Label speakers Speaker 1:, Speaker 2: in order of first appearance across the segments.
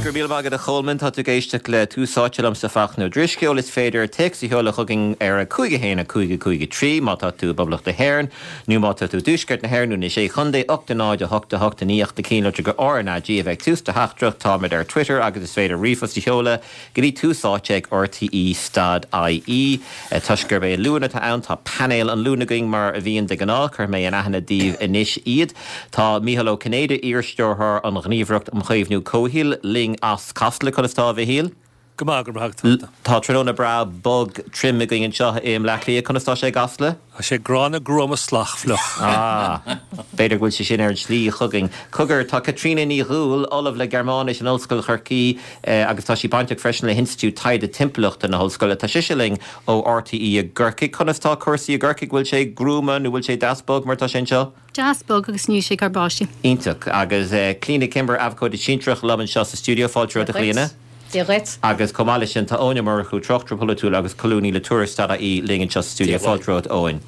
Speaker 1: Go raibh míle maith agat a Cholmáin. Tá tú ag éisteacht le Tús Áite liomsa Fachtna Ó Drisceoil. Is féidir téacs a sheoladh chugainn ar 5 1 5 5 3 má tá tú i bPoblacht na hÉireann nó má tá tú i dTuaisceart na hÉireann nó na Sé Chontae 8 0 8 8 9 ach na cinnlitreacha RnaG a bheith ag tús do theachtaireacht. Táimid ar Twitter agus is féidir ríomhphost a sheoladh Go dtí Tús Áite ag RTÉ stad IE. Toisc gurb é Luan atá ann, tá painéal an Luain againn mar a bhíonn de ghnáth. Cuirfidh mé in aithne daoibh anois iad. Tá Mícheál Ó Cinnéide, iar-stiúrthóir an Ghníomhaireacht um Chaomhnú Comhshaoil, linn as Casla. Conas tá, a Mhichíl?
Speaker 2: Go maith, go raibh maith agat.
Speaker 1: Tá tráthnóna breá bog tirim againn anseo i mBleá Cliath. Conas tá sé i gCasla?
Speaker 2: Tá sé gránna gruama salach fliuch.
Speaker 1: Ah, b'fhéidir go bhfuil sé sin ar an tslí chugainn. Cogar, tá Caitríona Ní Dhubhghaill, Ollamh le Gearmáinis in Ollscoil Chorcaí agus tá sí bainteach freisin le hInstitiúid Taighde Timpeallachta na hOllscoile. Tá sise linn ó RTÉ i gCorcaigh. Conas tá cúrsaí i gCorcaigh? Bhfuil sé gruama nó bhfuil sé deas bog mar atá sé anseo?
Speaker 3: Deas bog agus níl sé ag cur báistí.
Speaker 1: Iontach. Agus Clíona Kimber, Abhcóide Sinsearach liom anseo sa stiúideo. Fáilte romhat a Chlíona.
Speaker 4: Dia dhuit.
Speaker 1: Agus chomh maith leis sin tá Eoin Ó Murchú, tráchtaire polaitiúil agus colúnaí le Tuairisc.ie linn anseo sa stiúideo. Fáilte romhat Eoin.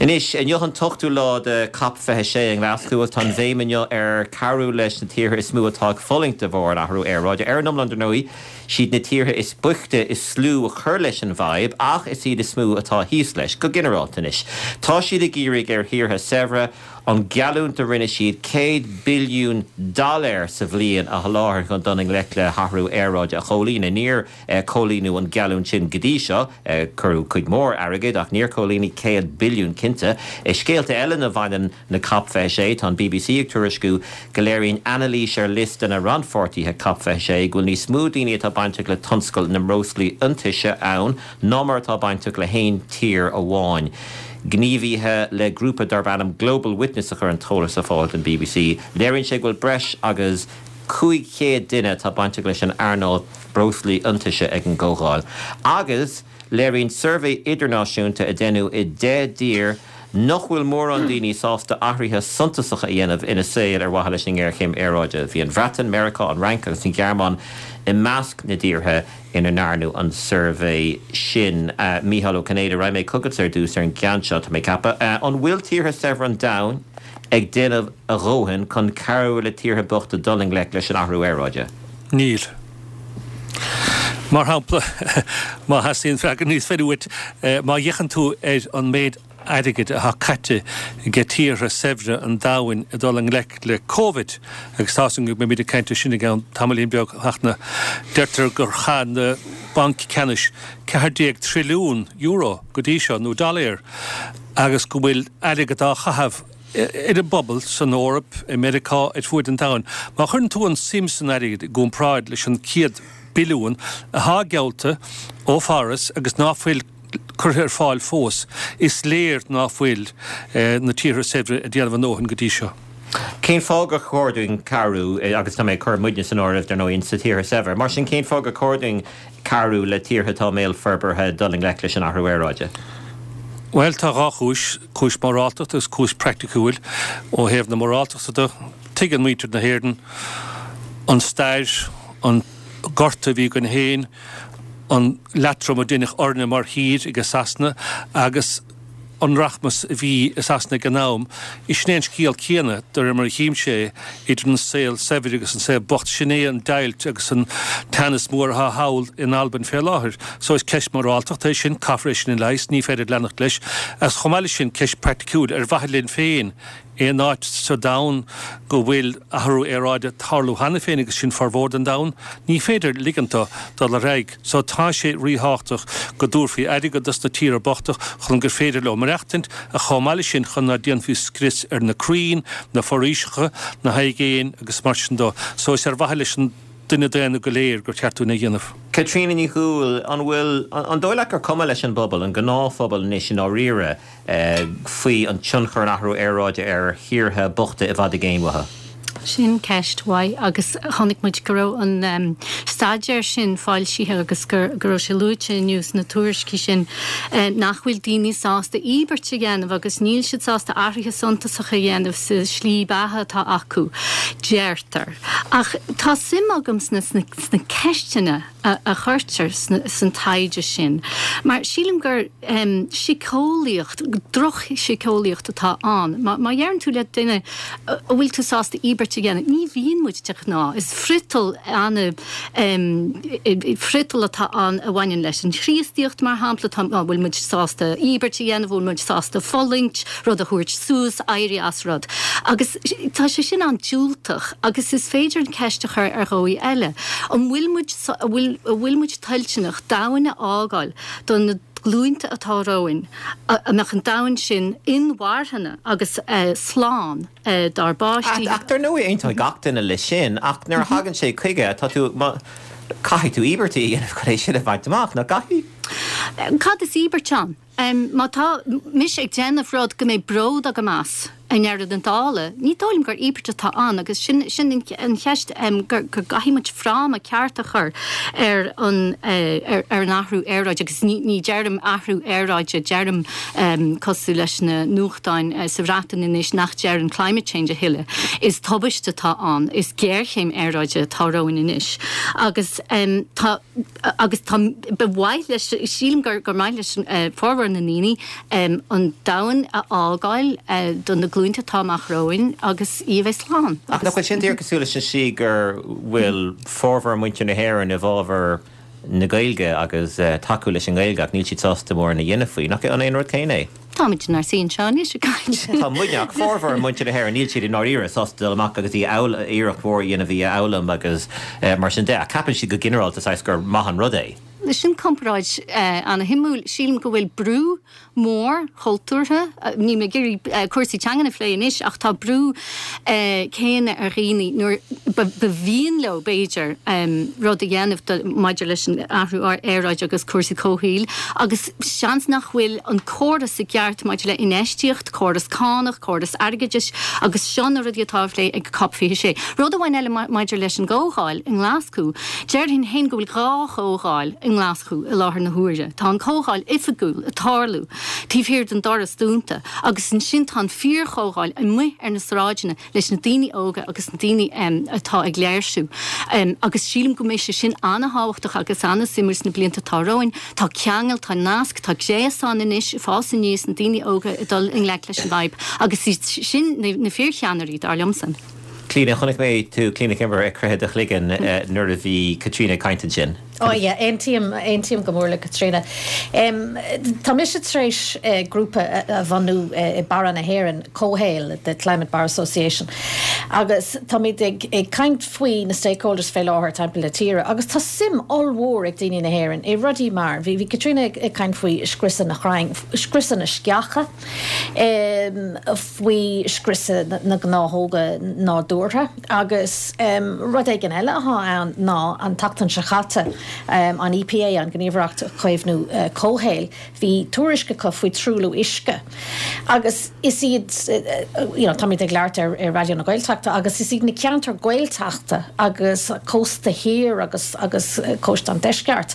Speaker 1: Anois, inniu an t-ochtú lá de Cop 26 i nGlaschú agus tá an bhéim inniu ar cabhrú leis na tíortha is mó atá ag fulaingt de bharr an athrú aeráide. Ar an iomlán, dar ndóigh, siad na tíortha is boichte is lú a chuir leis an bhfadhb ach is iad is mó atá thíos leis, go ginearálta anois. Tá siad ag iarraidh ar thíortha saibhre an geallúint a rinne siad 100 billiún dollar sa bhliain a sholáthar chun dul i ngleic le hathrú aeráide a chomhlíonadh. Níor comhlíonadh an geallúint sin go dtí seo. Cuireadh cuid mhór airgid ach níor comhlíonadh 100 billiún cinnte. I scéalta eile lena mbaineann na Cop 26, tá an bbc ag tuairisciú go léiríonn anailís ar liosta na rannpháirtithe Cop 26 go bhfuil níos mó daoine atá bainteach le tionscal na mbreoslaí iontaise ann ná mar atá bainteach le haon tír amháin. Gníomhaithe le grúpa darb ainm Global Witness a chuir an t-eolas ar fáil don bbc. Léiríonn sé go bhfuil breis agus 500 duine atá bainteach leis an earnáil breoslaí iontaise ag an gcomhdháil. Agus léiríonn suirbhé idirnáisiúnta a deineadh i 10 dtír nach bhfuil mórán daoine sásta athruithe suntasacha a dhéanamh ina saol ar mhaithe leis an ngéarchéim aeráide. Bhí an Bhreatain, Meiriceá, an Fhrainc agus an Ghearmáin i measc na dtíortha ina ndearnadh an suirbhé sin. Mícheál Ó Cinnéide, raghaidh mé chugatsa ar dtús ar an gceann seo, tá mé ag ceapadh. An bhfuil tíortha saibhre an domhain ag déanamh a dhóthain chun cabhrú le tíortha bochta dul i ngleic leis an athrú aeráide?
Speaker 2: Níl. Mar shampla, má theastaíonn freagra níos fearr uait, má fhéachann tú ar an méid airgid atá caite ag tíortha saibhre an domhain ag dul i ngleic le Covid, agus tá a fhios agam go mbeimid ag caint air sin i gceann tamaillín beag, a Fhachtna, deirtear gur chaith na bainc ceannais €14 trilliún go dtí seo, nó dollar, agus go bhfuil airgead á chaitheamh ar an bpobal san Eoraip, i Meiriceá, ar fuaid an domhain. Má chuireann tú an suim san airgead i gcomparáid leis an 100 billiún atá geallta ó Pháras agus ná fuil curtha ar fáil fós, is léir ná fuil na tíortha saibhre ag déanamh a ndóthain go dtí seo.
Speaker 1: Cén fáth gur chóir dúinn cabhrú, agus tá mé ag cur muidne san áireamh, dar ndóigh, sna tíortha saibhre, mar sin cén fáth gur chóir dúinn cabhrú le tíortha atá i mbéal forbartha dul i ngleic leis an athrú aeráide?
Speaker 2: Bhuel, tá dhá chúis, cúis mhoráltachta agus cúis praiticiúil. Ó thaobh na moráltachta de, tuigeann muintir na hÉireann an stair, an gorta a bhí againn féin, an leatrom a deineadh orainne mar thír ag Sasana agus an rachmas a bhí i Sasana ag an am. Sin é an scéal céanna, de réir mar a chímse é, idir an saol saibhir agus an saol bocht. Sin é an deighilt agus an teannas mór atá thall in Albain fé láthair. So is ceist mhoráltachta é sin, caithfear é sin a leigheas, ní féidir leanacht leis. Agus chomh maith leis sin, ceist praiticiúil, ar mhaithe linn féin, Aon áit sa domhan go bhfuil athrú aeráide ag tarlú cheana féin, agus sin formhór den domhan, ní féidir ligint dó dul ar aghaidh. So tá sé ríthábhachtach go dtabharfaí airgead dos na tíortha bochta chun gur féidir leo maireachtaint, ach chomh maith leis sin chun ná déanfaí scrios ar na crainn, na foraoiseacha, na haigéin agus mar sin dó. So is ar mhaithe leis an duine daonna go léir gur cheart dúinn é a dhéanamh.
Speaker 1: Caitríona Ní Dhubhghaill, an bhfuil, an dóigh leat gur cuma leis an bpobal, an gnáthphobal anois i ndáiríre, faoi an tionchar an athrú aeráide ar thíortha bochta i bhfad i gcéin uathu?
Speaker 3: Sin ceist mhaith agus chonaic muid go raibh an staidéar sin foilsithe agus go raibh sé luaite inniu sna tuairiscí sin nach bhfuil daoine sásta íobairt a dhéanamh agus níl siad sásta athruithe suntasacha a dhéanamh sa slí beatha atá acu, deirtear. Ach tá suim agam sna ceisteanna a chuirtear san taighde sin mar sílim gur síceolaíocht, drochshíceolaíocht atá ann. Má dheireann tú le duine an bhfuil tú sásta íobairt. íobairt a dhéanamh? Ní bhíonn muid de ghnáth. Is friotal ana, friotal atá ann a bhaineann leis an Chríostaíocht, mar shampla, tá, an bhfuil muid sásta íobairt a dhéanamh, an bhfuil muid sásta fulaingt, rud a thabhairt suas, éirí as rud. Agus tá sé sin an-diúltach agus is féidir an ceist a chur ar dhóigh eile, an bhfuil muid, an bhfuil, an bhfuil muid toilteanach domhan a fhágáil do na glúinte atá romhainn, a mbeadh an domhan sin inmharthana agus slán dár bpáistí.
Speaker 1: Ach dar ndóigh aontóidh gach duine leis sin, ach nuair a thagann sé chuige, tá tú, caithfidh tú íobairtí a dhéanamh chun é sin a bhaint amach, nach
Speaker 3: gcaithfidh? Cad is íobairt ann? Má tá mise ag déanamh rud go mbeidh bród agam as i ndeireadh na dála, ní dóigh liom gur íobairt atá ann agus sin sin an cheist go gcaithfidh muid fráma ceart a chur ar an ar an athrú aeráide agus ní ní deirim athrú aeráide, deirim cosúil leis na nuachtáin sa Bhreatain anois nach deireann climate change a thuilleadh. Is tubaiste atá ann, is géarchéim aeráide atá romhainn anois agus tá agus tá, ba mhaith leis, sílim gur gur maith leis formhór na ndaoine an domhan a fhágáil do na glúinte atá amach romhainn agus í a bheith slán.
Speaker 1: Ach nach bhfuil sin díreach cosúil leis an slí gur bhfuil formhór muintir na hÉireann i bhfabhar na Gaeilge agus tacú leis an nGaeilge ach níl siad sásta mórán a dhéanamh faoi. Nach é an aon rud céanna é?
Speaker 3: Táimid inár suí anseo anois ag caint.
Speaker 1: Tá muidne, ach formhór muintir na hÉireann, níl siad i ndáiríre sásta dul amach agus í a fhoghlaim, iarracht mhór a dhéanamh í a fhoghlaim agus mar sin de. Ach ceapann siad go ginearálta saghas gur maith an rud é.
Speaker 3: Sin comparáid ana-shuimiúil. Sílim go bhfuil brú mór cultúrtha, níl mé ag iarraidh cúrsaí teangan a phlé anois, ach tá brú céanna ar dhaoine nuair ba mhian leo, b'fhéidir, rud a dhéanamh maidir leis an athrú aeráide agus cúrsaí comhshaoil agus seans nach bhfuil an córas i gceart maidir le infheistíocht, córas cánach, córas airgeadais agus seo na rudaí atá á phlé ag Cop 26. Rud amháin eile maidir leis an gcomhdháil i nGlaschú, déarfainn féin go bhfuil dhá chomhdháil i nGlaschú i láthair na huaire. Tá an comhdháil oifigiúil ag tarlú taobh thiar den doras dúnta agus ansin tá an fíorchomhdháil amuigh ar na sráideanna leis na daoine óga agus na daoine atá ag léirsiú agus sílim go mbeidh sé sin an-thábhachtach agus an-suimiúil sna blianta atá romhainn. Tá ceangal, tá nasc, tá gréasán anois ag fás aníos, na daoine óga ag dul i ngleic leis an bhfadhb agus iad sin na fíorcheannairí, dar liomsa.
Speaker 1: Clíona, chonaic mé tú, Clíona Kimber, ag croitheadh do chloigeann nuair a bhí Caitríona ag caint ansin.
Speaker 4: Oh yeah, aontaím, aontaím go mór le Caitríona. Tá mise tar éis grúpa a bhunú i Barra na hÉireann, Comhshaol, the Climate Bar Association, agus táimid ag ag caint faoi na stakeholders fé láthair timpeall na tíre agus tá suim ollmhór ag daoine na hÉireann i rudaí mar, bhí bhí Caitríona ag ag caint faoi scriosadh na chrainn, scriosadh na sceacha, faoi scriosadh na gnáthóga nádúrtha. Agus rud éigin eile atá ann ná an tseachtain seo caite, an EPA, an Ghníomhaireacht Caomhnú Comhshaoil, bhí tuairisc acu faoi truailliú uisce. Agus is iad, you know, táimid ag labhairt ar Raidió na Gaeltachta agus is iad na ceantair Gaeltachta agus cósta thiar agus agus cósta an deisceart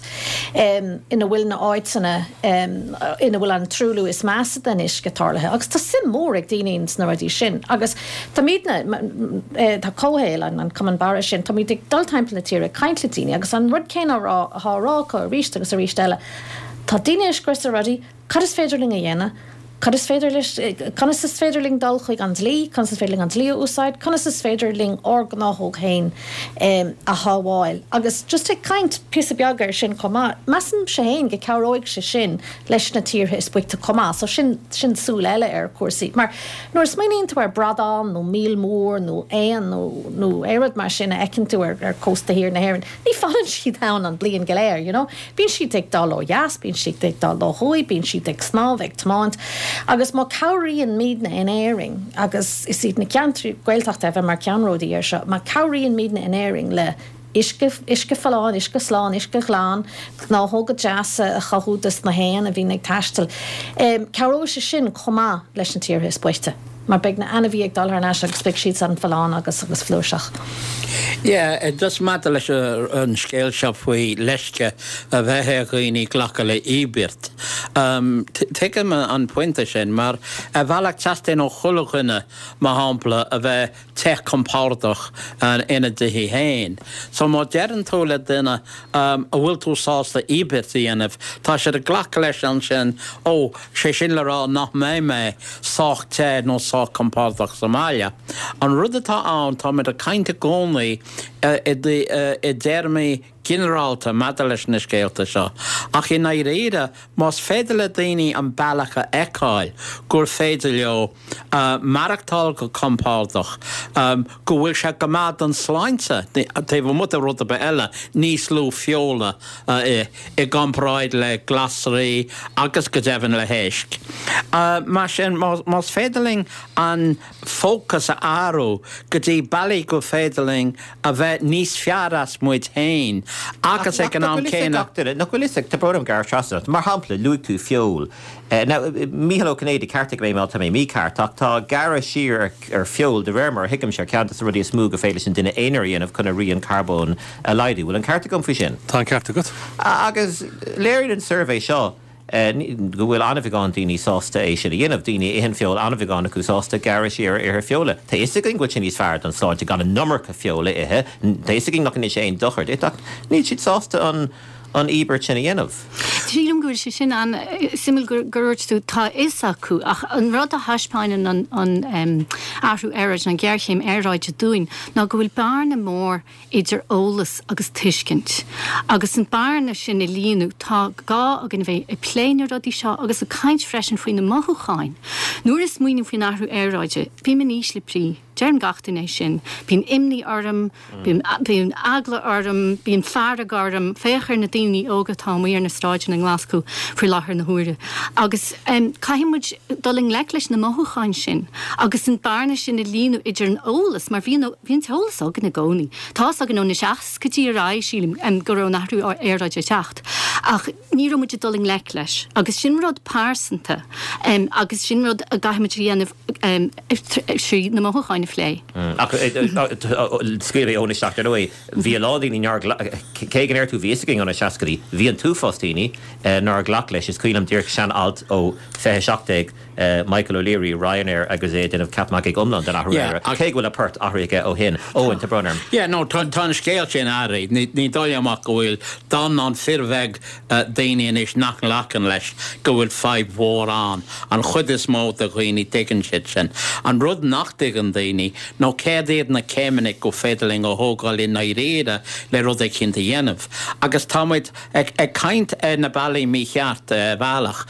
Speaker 4: ina bhfuil na áiteanna ina bhfuil an truailliú is measa den uisce tarlaithe. Agus tá suim mhór ag daoine sna rudaí sin. Agus Táimidne, tá Comhshaol, an Cumann Barra sin, táimid ag dul timpeall na tíre ag caint le daoine agus an rud céanna á rá, atá á rá acu arís agus arís eile, tá daoine ag scriosadh rudaí, cad is féidir linn a dhéanamh, cad is féidir leis, conas is féidir linn dul chuig an dlí, conas is féidir linn an dlí a úsáid, conas is féidir linn ár ngnáthóg féin a shábháil. Agus just ag caint píosa beag air sin chomh maith, measaimse féin go cabhróidh sé sin leis na tíortha is boichte chomh maith, so sin, sin súil eile ar chúrsaí. Mar. Nuair a smaoiníonn tú ar bradán nó míol mór nó éan nó nó aon rud mar sin a fheiceann tú ar ar cósta thiar na hÉireann, ní fanann siad ann an bliain go léir, you know. Bíonn siad ag dul ó dheas, bíonn siad ag dul ó thuaidh, bíonn siad ag snámh, ag tiomáint. Agus má cabhraíonn muidne in Éirinn, agus is iad na ceantraí Gaeltachta a bheith mar ceannródaí air seo, má cabhraíonn muidne in Éirinn le uisce, uisce folláin, uisce slán, uisce glan, gnáthóga deasa a chothú dos na héin a bhíonn ag taisteal. Cabhróidh sé sin chomh maith leis na tíortha is boichte, mar beidh na ainmhithe ag dul thar n-ais agus beidh siadsan folláin agus agus flúirseach.
Speaker 5: Yeah, just maidir leis an scéal seo faoi leisce a bheith ar dhaoine glacadh le íobairt, tuigim an pointe sin, mar ar bhealach teastaíonn ó chuile dhuine, mar shampla, a bheith te compordach ina dtithe féin. So má deireann tú le duine an bhfuil tú sásta íobairt a dhéanamh, tá siad ag glacadh leis ansin, ó, sé sin le rá nach mbeidh mé sách te nó sách compordach sa mbaile. An rud atá ann, táimid ag caint i gcónaí i dtéarmaí ginearálta maidir leis na scéalta seo, ach i ndáiríre, más féidir le daoine an bealach a fheiceáil gur féidir leo maireachtáil go compordach, go bhfuil sé go maith don sláinte, taobh amuigh de rud ar bith eile, níos lú feola a ithe i gcomparáid le glasraí agus go deimhin le héisc. Mar sin, más féidir linn an fócas a athrú go dtí bealaí gur féidir linn a bheith níos fearr as muid féin agus ag an am céanna.
Speaker 1: Nach bhfuil fhios ag, tá brón orm gearradh trasna ort, mar shampla, luaigh tú feoil. Now, Mícheál Ó Cinnéide, ceartaigh mé má tá mé mícheart, ach tá gearradh siar ar feoil, de réir mar a thuigimse, ar cheann de na rudaí is mó gur féidir leis an duine aonair a dhéanamh chun a rian carbóin a laghdú. Bhfuil an ceart agam faoi sin?
Speaker 2: Tá an ceart agat.
Speaker 1: Agus léiríonn an suirbhé seo go bhfuil an-bheagán daoine sásta é sin a dhéanamh, daoine a itheann feoil, an-bheagán acu sásta gearradh siar ar ithe feola. Tá fhios againn go bhfuil sé níos fearr don tsláinte gan an iomarca feoil a ithe, tá fhios againn nach ndéanann sé aon dochar duit, ach níl siad sásta an an íobairt sin a dhéanamh.
Speaker 3: Sílim go bhfuil sé sin an-suimiúil gur dúirt tú tá a fhios acu, ach an rud a thaispeáineann an an athrú aeráide, an ghéarchéim aeráide dúinn ná go bhfuil bearna mór idir eolas agus tuiscint. Agus an bearna sin a líonadh, tá gá againn a bheith ag plé na rudaí seo agus ag caint freisin faoi na mothúcháin. Nuair a smaoiním faoin athrú aeráide, bím in ísle brí. Deireann gach duine é sin. Bíonn imní orm, bíonn eagla orm, bíonn fearg orm. Féach ar na daoine óga atá amuigh ar na sráideanna i nGlaschú faoi láthair na huaire. Agus caithfidh muid dul i ngleic leis na mothúcháin sin agus an bearna sin a líonadh idir an eolas, mar bhí an Bhí an t-eolas againn i gcónaí. Tá fhios againn ó na seascaidí ar aghaidh, sílim, go raibh an athrú aeráide ag teacht. Ach ní raibh muid ag dul i ngleic leis. Agus sin rud pearsanta agus sin rud a gcaithfidh muid a dhéanamh trí na mothúcháin a phlé.
Speaker 1: Ach scaoil mé Eoin isteach, dar ndóigh, bhí a lán daoine nár ghlac, cé go ndeir tú bhí fhios againn ó na seascaidí, bhí an t-uafás daoine nár ghlac leis. Is cuimhin liom díreach sean-alt ó 2017, Michael O'Leary, Ryanair agus é ag déanamh ceap magaidh iomlán den athrú aeráide, cé go bhfuil a port athraithe aige ó shin. Eoin, tá brón orm.
Speaker 5: Yeah, no, tá an scéal sin athraithe. Ní dóigh liom ach go bhfuil dornán fíorbheag daoine anois nach nglacann leis go bhfuil fadhb mhór ann. An chuid is mó de dhaoine, tuigeann siad sin. An rud nach dtuigeann daoine nó céard iad na céimeanna go féidir linn a thógáil i ndáiríre le rud eicínt a dhéanamh. Agus tá muid Ag caint ar na bealaí mícheart ar bhealach.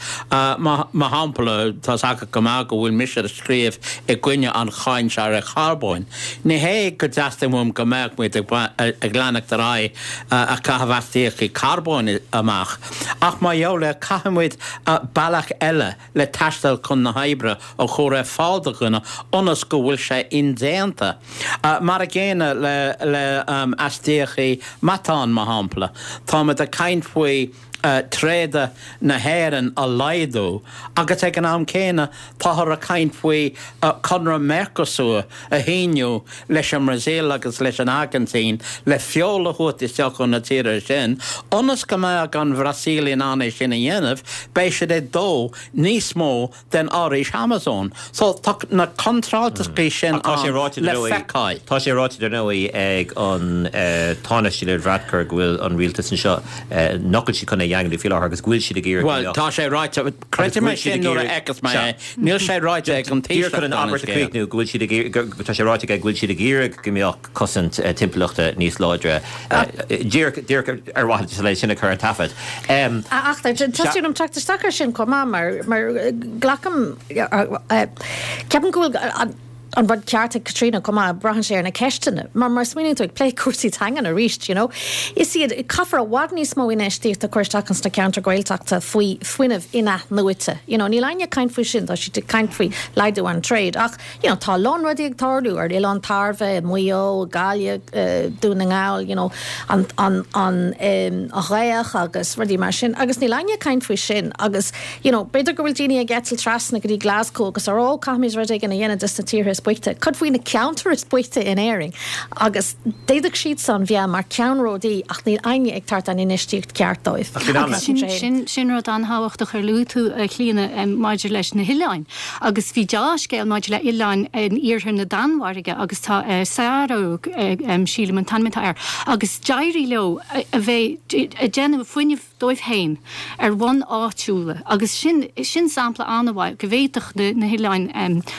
Speaker 5: Mar shampla, tá's agat go maith go bhfuil mise ag scríobh i gcoinne an cháin seo ar charbóin. Ní hé go dteastaíonn uaim go mbeadh muid ag leanacht ar aghaidh ag caitheamh astaíochtaí carbóin amach, ach mar gheall air caithfidh muid bealach eile le taisteal chun na hoibre a chur ar fáil do dhuine ionas go bhfuil sé indéanta. Mar a gcéanna le astaíochtaí meatáin, mar shampla. Táimid ag caint faoi tréada na hÉireann a laghdú agus ag an am céanna táthar ag caint faoi conradh Mercosur a shíniú leis an mBrasaíl agus leis an Airgintín le feoil a thabhairt isteach ó na tíortha sin. Ionas go mbeadh an Bhrasaíl in ann é sin a dhéanamh, beidh siad ag dó níos mó den fhoraois Amazon. So tá na contrárthachtaí sin
Speaker 1: Ach tá sé ráite
Speaker 5: ann le feiceáil.
Speaker 1: Tá sé ráite dar ndóigh ag an Tánaiste Leo Varadkar go bhfuil an rialtas anseo, nach bhfuil siad chun é a dhaingniú faoi láthair agus go bhfuil siad ag iarraidh go
Speaker 5: Bhuel,
Speaker 1: mbeadh
Speaker 5: tá sé ráite,
Speaker 1: agus
Speaker 5: creidim
Speaker 1: go
Speaker 5: é
Speaker 1: bhfuil siad
Speaker 5: sin
Speaker 1: ag
Speaker 5: nuair a
Speaker 1: iarraidh
Speaker 5: fheicfeas mé
Speaker 1: sea.
Speaker 5: é. Níl sé ráite ag an
Speaker 1: Díreach
Speaker 5: Taoiseach
Speaker 1: chun an
Speaker 5: gan an
Speaker 1: abairt a
Speaker 5: scéal.
Speaker 1: chríochnú, go bhfuil siad ag iarraidh, go, tá sé ráite aige go bhfuil siad ag iarraidh go mbeadh cosaint timpeallachta níos láidre. Díreach, díreach ar mhaithe leis sin a chur ar taifead.
Speaker 4: Ach teastaíonn uaim teacht isteach ar sin chomh maith mar, mar glacaim, ceapaim go bhfuil an, an rud ceart ag Caitríona chomh maith, braitheann sé ar na ceisteanna. Mar mar smaoiníonn tú ag plé cúrsaí teangan arís, you know, is iad, caithfear i bhfad níos mó infheistíochta a chur isteach ins na ceantair Ghaeltachta faoi fuinneamh in-athnuaite. You know, níl éinne ag caint faoi sin, tá siad ag caint faoi laghdú an tréad ach, you know, tá a lán rudaí ag tarlú ar Oileán Tairbhe, i Maigh Eo, i Gaillimh, Dún na nGall, you know, an, an, an, an ghaoth agus rudaí mar sin agus níl éinne ag caint faoi sin agus, You know, b'fhéidir go bhfuil daoine ag eitilt trasna go dtí Glasgow agus a rá, oh, caithfimid rud éigin a dhéanamh dos na tíortha is. is boichte, cad faoi na ceantair is boichte in Éirinn? Agus d'fhéadfadh siadsan bheith mar ceannródaí ach níl éinne ag tabhairt an infheistíocht ceart dóibh.
Speaker 3: Agus sin, sin rud an-thábhachtach ar luaigh tú, a Chlíona, maidir leis na hoileáin. Agus bhí deá-scéal maidir le hoileáin in iarthar na Danmhairge agus tá Særø, sílim an t-ainm atá air, agus d'éirigh leo a bheith ag déanamh fuinnimh dóibh féin ar bhonn áitiúla agus sin, sin sampla an-mhaith go bhféadfadh na hoileáin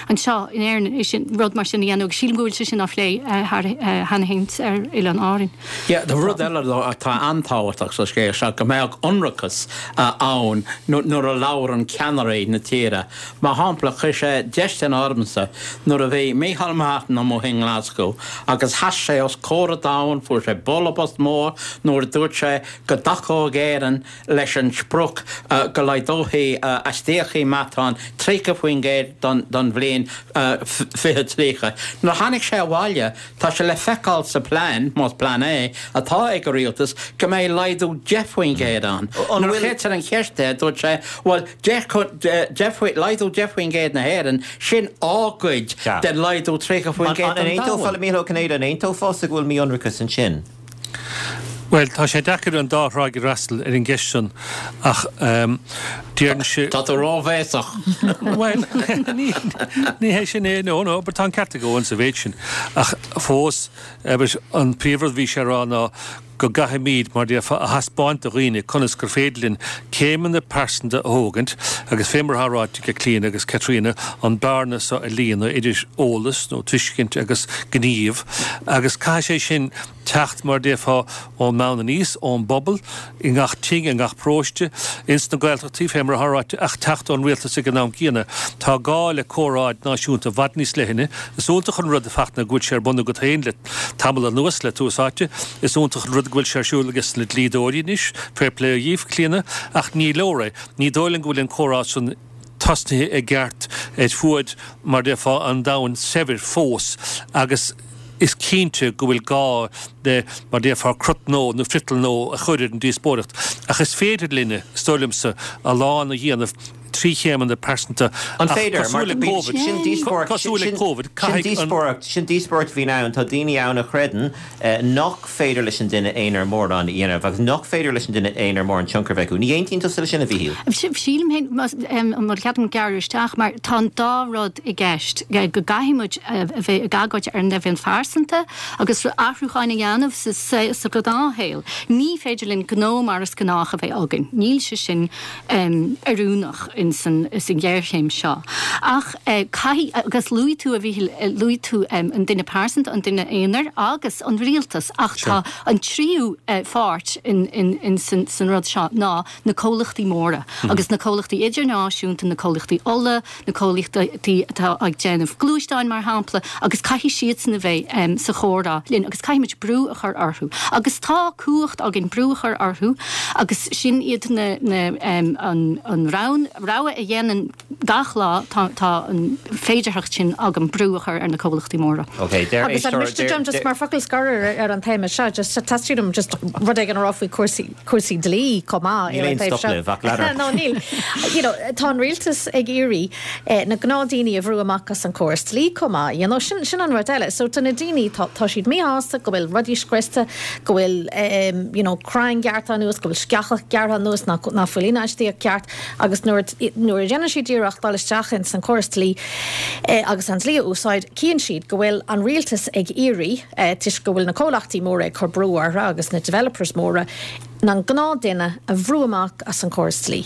Speaker 3: anseo in Éirinn é sin, rud mar sin a dhéanamh agus sílim go bhfuil sé sin á phlé cheana féin ar Oileáin Árann.
Speaker 5: Yeah, tá rud eile atá an-tábhachtach sa scéal seo, go mbeadh ionracas ann nuair a labhrann ceannairí na tíre. Mar shampla, chuir sé déistin ormsa nuair a bhí Micheál Martin amuigh i nGlasgow agus sheas sé os comhair an domhain, fuair sé bualadh bos mór nuair a dúirt sé go dtacódh Éirinn leis an sprioc go laghdófaí astaíochtaí meatáin 30% don bhliain 2030. Nuair a tháinig sé abhaile, tá sé le feiceáil sa plean, más plean é, atá ag an rialtas, go mbeidh laghdú 10% ann. Nuair a chuirtear an cheist air, dúirt sé, bhuel, laghdú 10% na hÉireann, sin ár gcuid den laghdú 30% don domhan.
Speaker 1: An aontófá le Mícheál Ó Cinnéide, an aontófása go bhfuil mí-ionracas ansin?
Speaker 2: Bhuel, tá sé deacair an dá thráigh a fhreastal ar an gceist san ach déarfainnse.
Speaker 5: Tá tú róbhéasach.
Speaker 2: Bhuel, ní hé sin é, no, no, but tá an ceart ag Eoin sa mhéid sin. Ach fós, abair, an príomhrud a bhí sé a rá ná go gcaithfimid, mar déarfá, a thaispeáint do dhaoine conas gur féidir linn céimeanna pearsanta a thógaint agus fé mar atá ráite ag Clíona agus Caitríona, an bearna so a líonadh idir eolas nó tuiscint agus gníomh agus caithfidh sé sin teacht, mar a déarfá, ón mbonn aníos, ón bpobal, i ngach tigh, i ngach paróiste, ins na Gaeltachtaí, fé mar atá ráite, ach teacht ón rialtas ag an am céanna. Tá gá le comhrá náisiúnta i bhfad níos leithne. Is iontach an rud, a Fachtna, go bhfuil sé ar bun agat féin le tamall anuas, le Tús Áite. Is iontach an rud go bhfuil sé ar siúl ages na dlíodóirí anois, fair play dhaoibh, Clíona, ach ní leor é. Ní dóigh liom go bhfuil an comhrá san tosnaithe i gceart ar fuaid, mar a déarfá, an domhain saibhir fós agus is cinnte go bhfuil gá le, mar a déarfá, crot nua nó friotal nua a chur ar an díospóireacht. Ach is féidir linne, is dóigh liomsa, a lán a dhéanamh trí chéimeanna pearsanta
Speaker 1: An ach féidir? Mar cosúil le Covid, sin díospóireacht, cosúil le Covid, sin caithfidh an. díospóireacht, sin díospóireacht a bhíonn ann. Tá daoine ann a chreideann nach féidir leis an duine aonair mórán a dhéanamh agus nach féidir leis an duine aonair mórán tionchar a bheith acu. Ní aontaíonn tusa leis sin, a Mhíchíl?
Speaker 3: Sílim féin, an bhfuil cead agam gearradh isteach, mar tá an dá rud i gceist, go gcaithfidh muid a bheith ag agóid ar an leibhéal phearsanta agus athrúcháin a dhéanamh sa ghnáthshaol. Ní féidir linn gnó mar is gnách a bheith againn. Níl sé sin oiriúnach ins an ghéarchéim seo. Ach caithfidh, agus luaigh tú, a Mhíchíl, luaigh tú an duine pearsanta, an duine aonair agus an rialtas, ach tá an tríú pháirt ins an rud seo ná na comhlachtaí móra agus na comhlachtaí idirnáisiúnta, na comhlachtaí ola, na comhlachtaí atá ag déanamh gluaisteáin mar shampla, agus caithfidh siadsan a bheith sa chomhrá linn agus caithfidh muid brú a chur orthu. Agus tá cumhacht againn brú a chur orthu agus sin iad na, na, an, an rogha a dhéanann gach lá, tá, tá an féidearthacht sin agam brú a chur ar na comhlachtaí móra.
Speaker 1: Ok, deir
Speaker 4: Agus an
Speaker 1: éisteoir,
Speaker 4: miste
Speaker 1: deir,
Speaker 4: dom just
Speaker 1: deir.
Speaker 4: mar focal scoir ar, ar an téama seo, just teastaíonn uaim just rud éigin a rá faoi cúrsaí, cúrsaí dlí chomh maith
Speaker 1: Níl
Speaker 4: ar an
Speaker 1: aon
Speaker 4: taobh
Speaker 1: stop
Speaker 4: seo.
Speaker 1: libh ach lean ort.
Speaker 4: No, níl. You know, tá an rialtas ag iarraidh na gnáthdhaoine a bhrú amach as an chóras dlí chomh maith, you know, sin, sin an rud eile. So tá na daoine, tá, tá siad míshásta go bhfuil rudaí scriosta, go bhfuil, you know, crainn gearrtha anuas, go bhfuil sceacha gearrtha anuas nach, nach bhfuil infheistíocht ceart agus nuair, nuair a dhéanann siad iarracht dul isteach ins an chóras dlí agus an dlí a úsáid, cíonn siad go bhfuil an rialtas ag iarraidh, toisc go bhfuil na comhlachtaí móra ag cur brú orthu agus na developers móra, an gnáthdhuine a bhrú amach as an chóras dlí.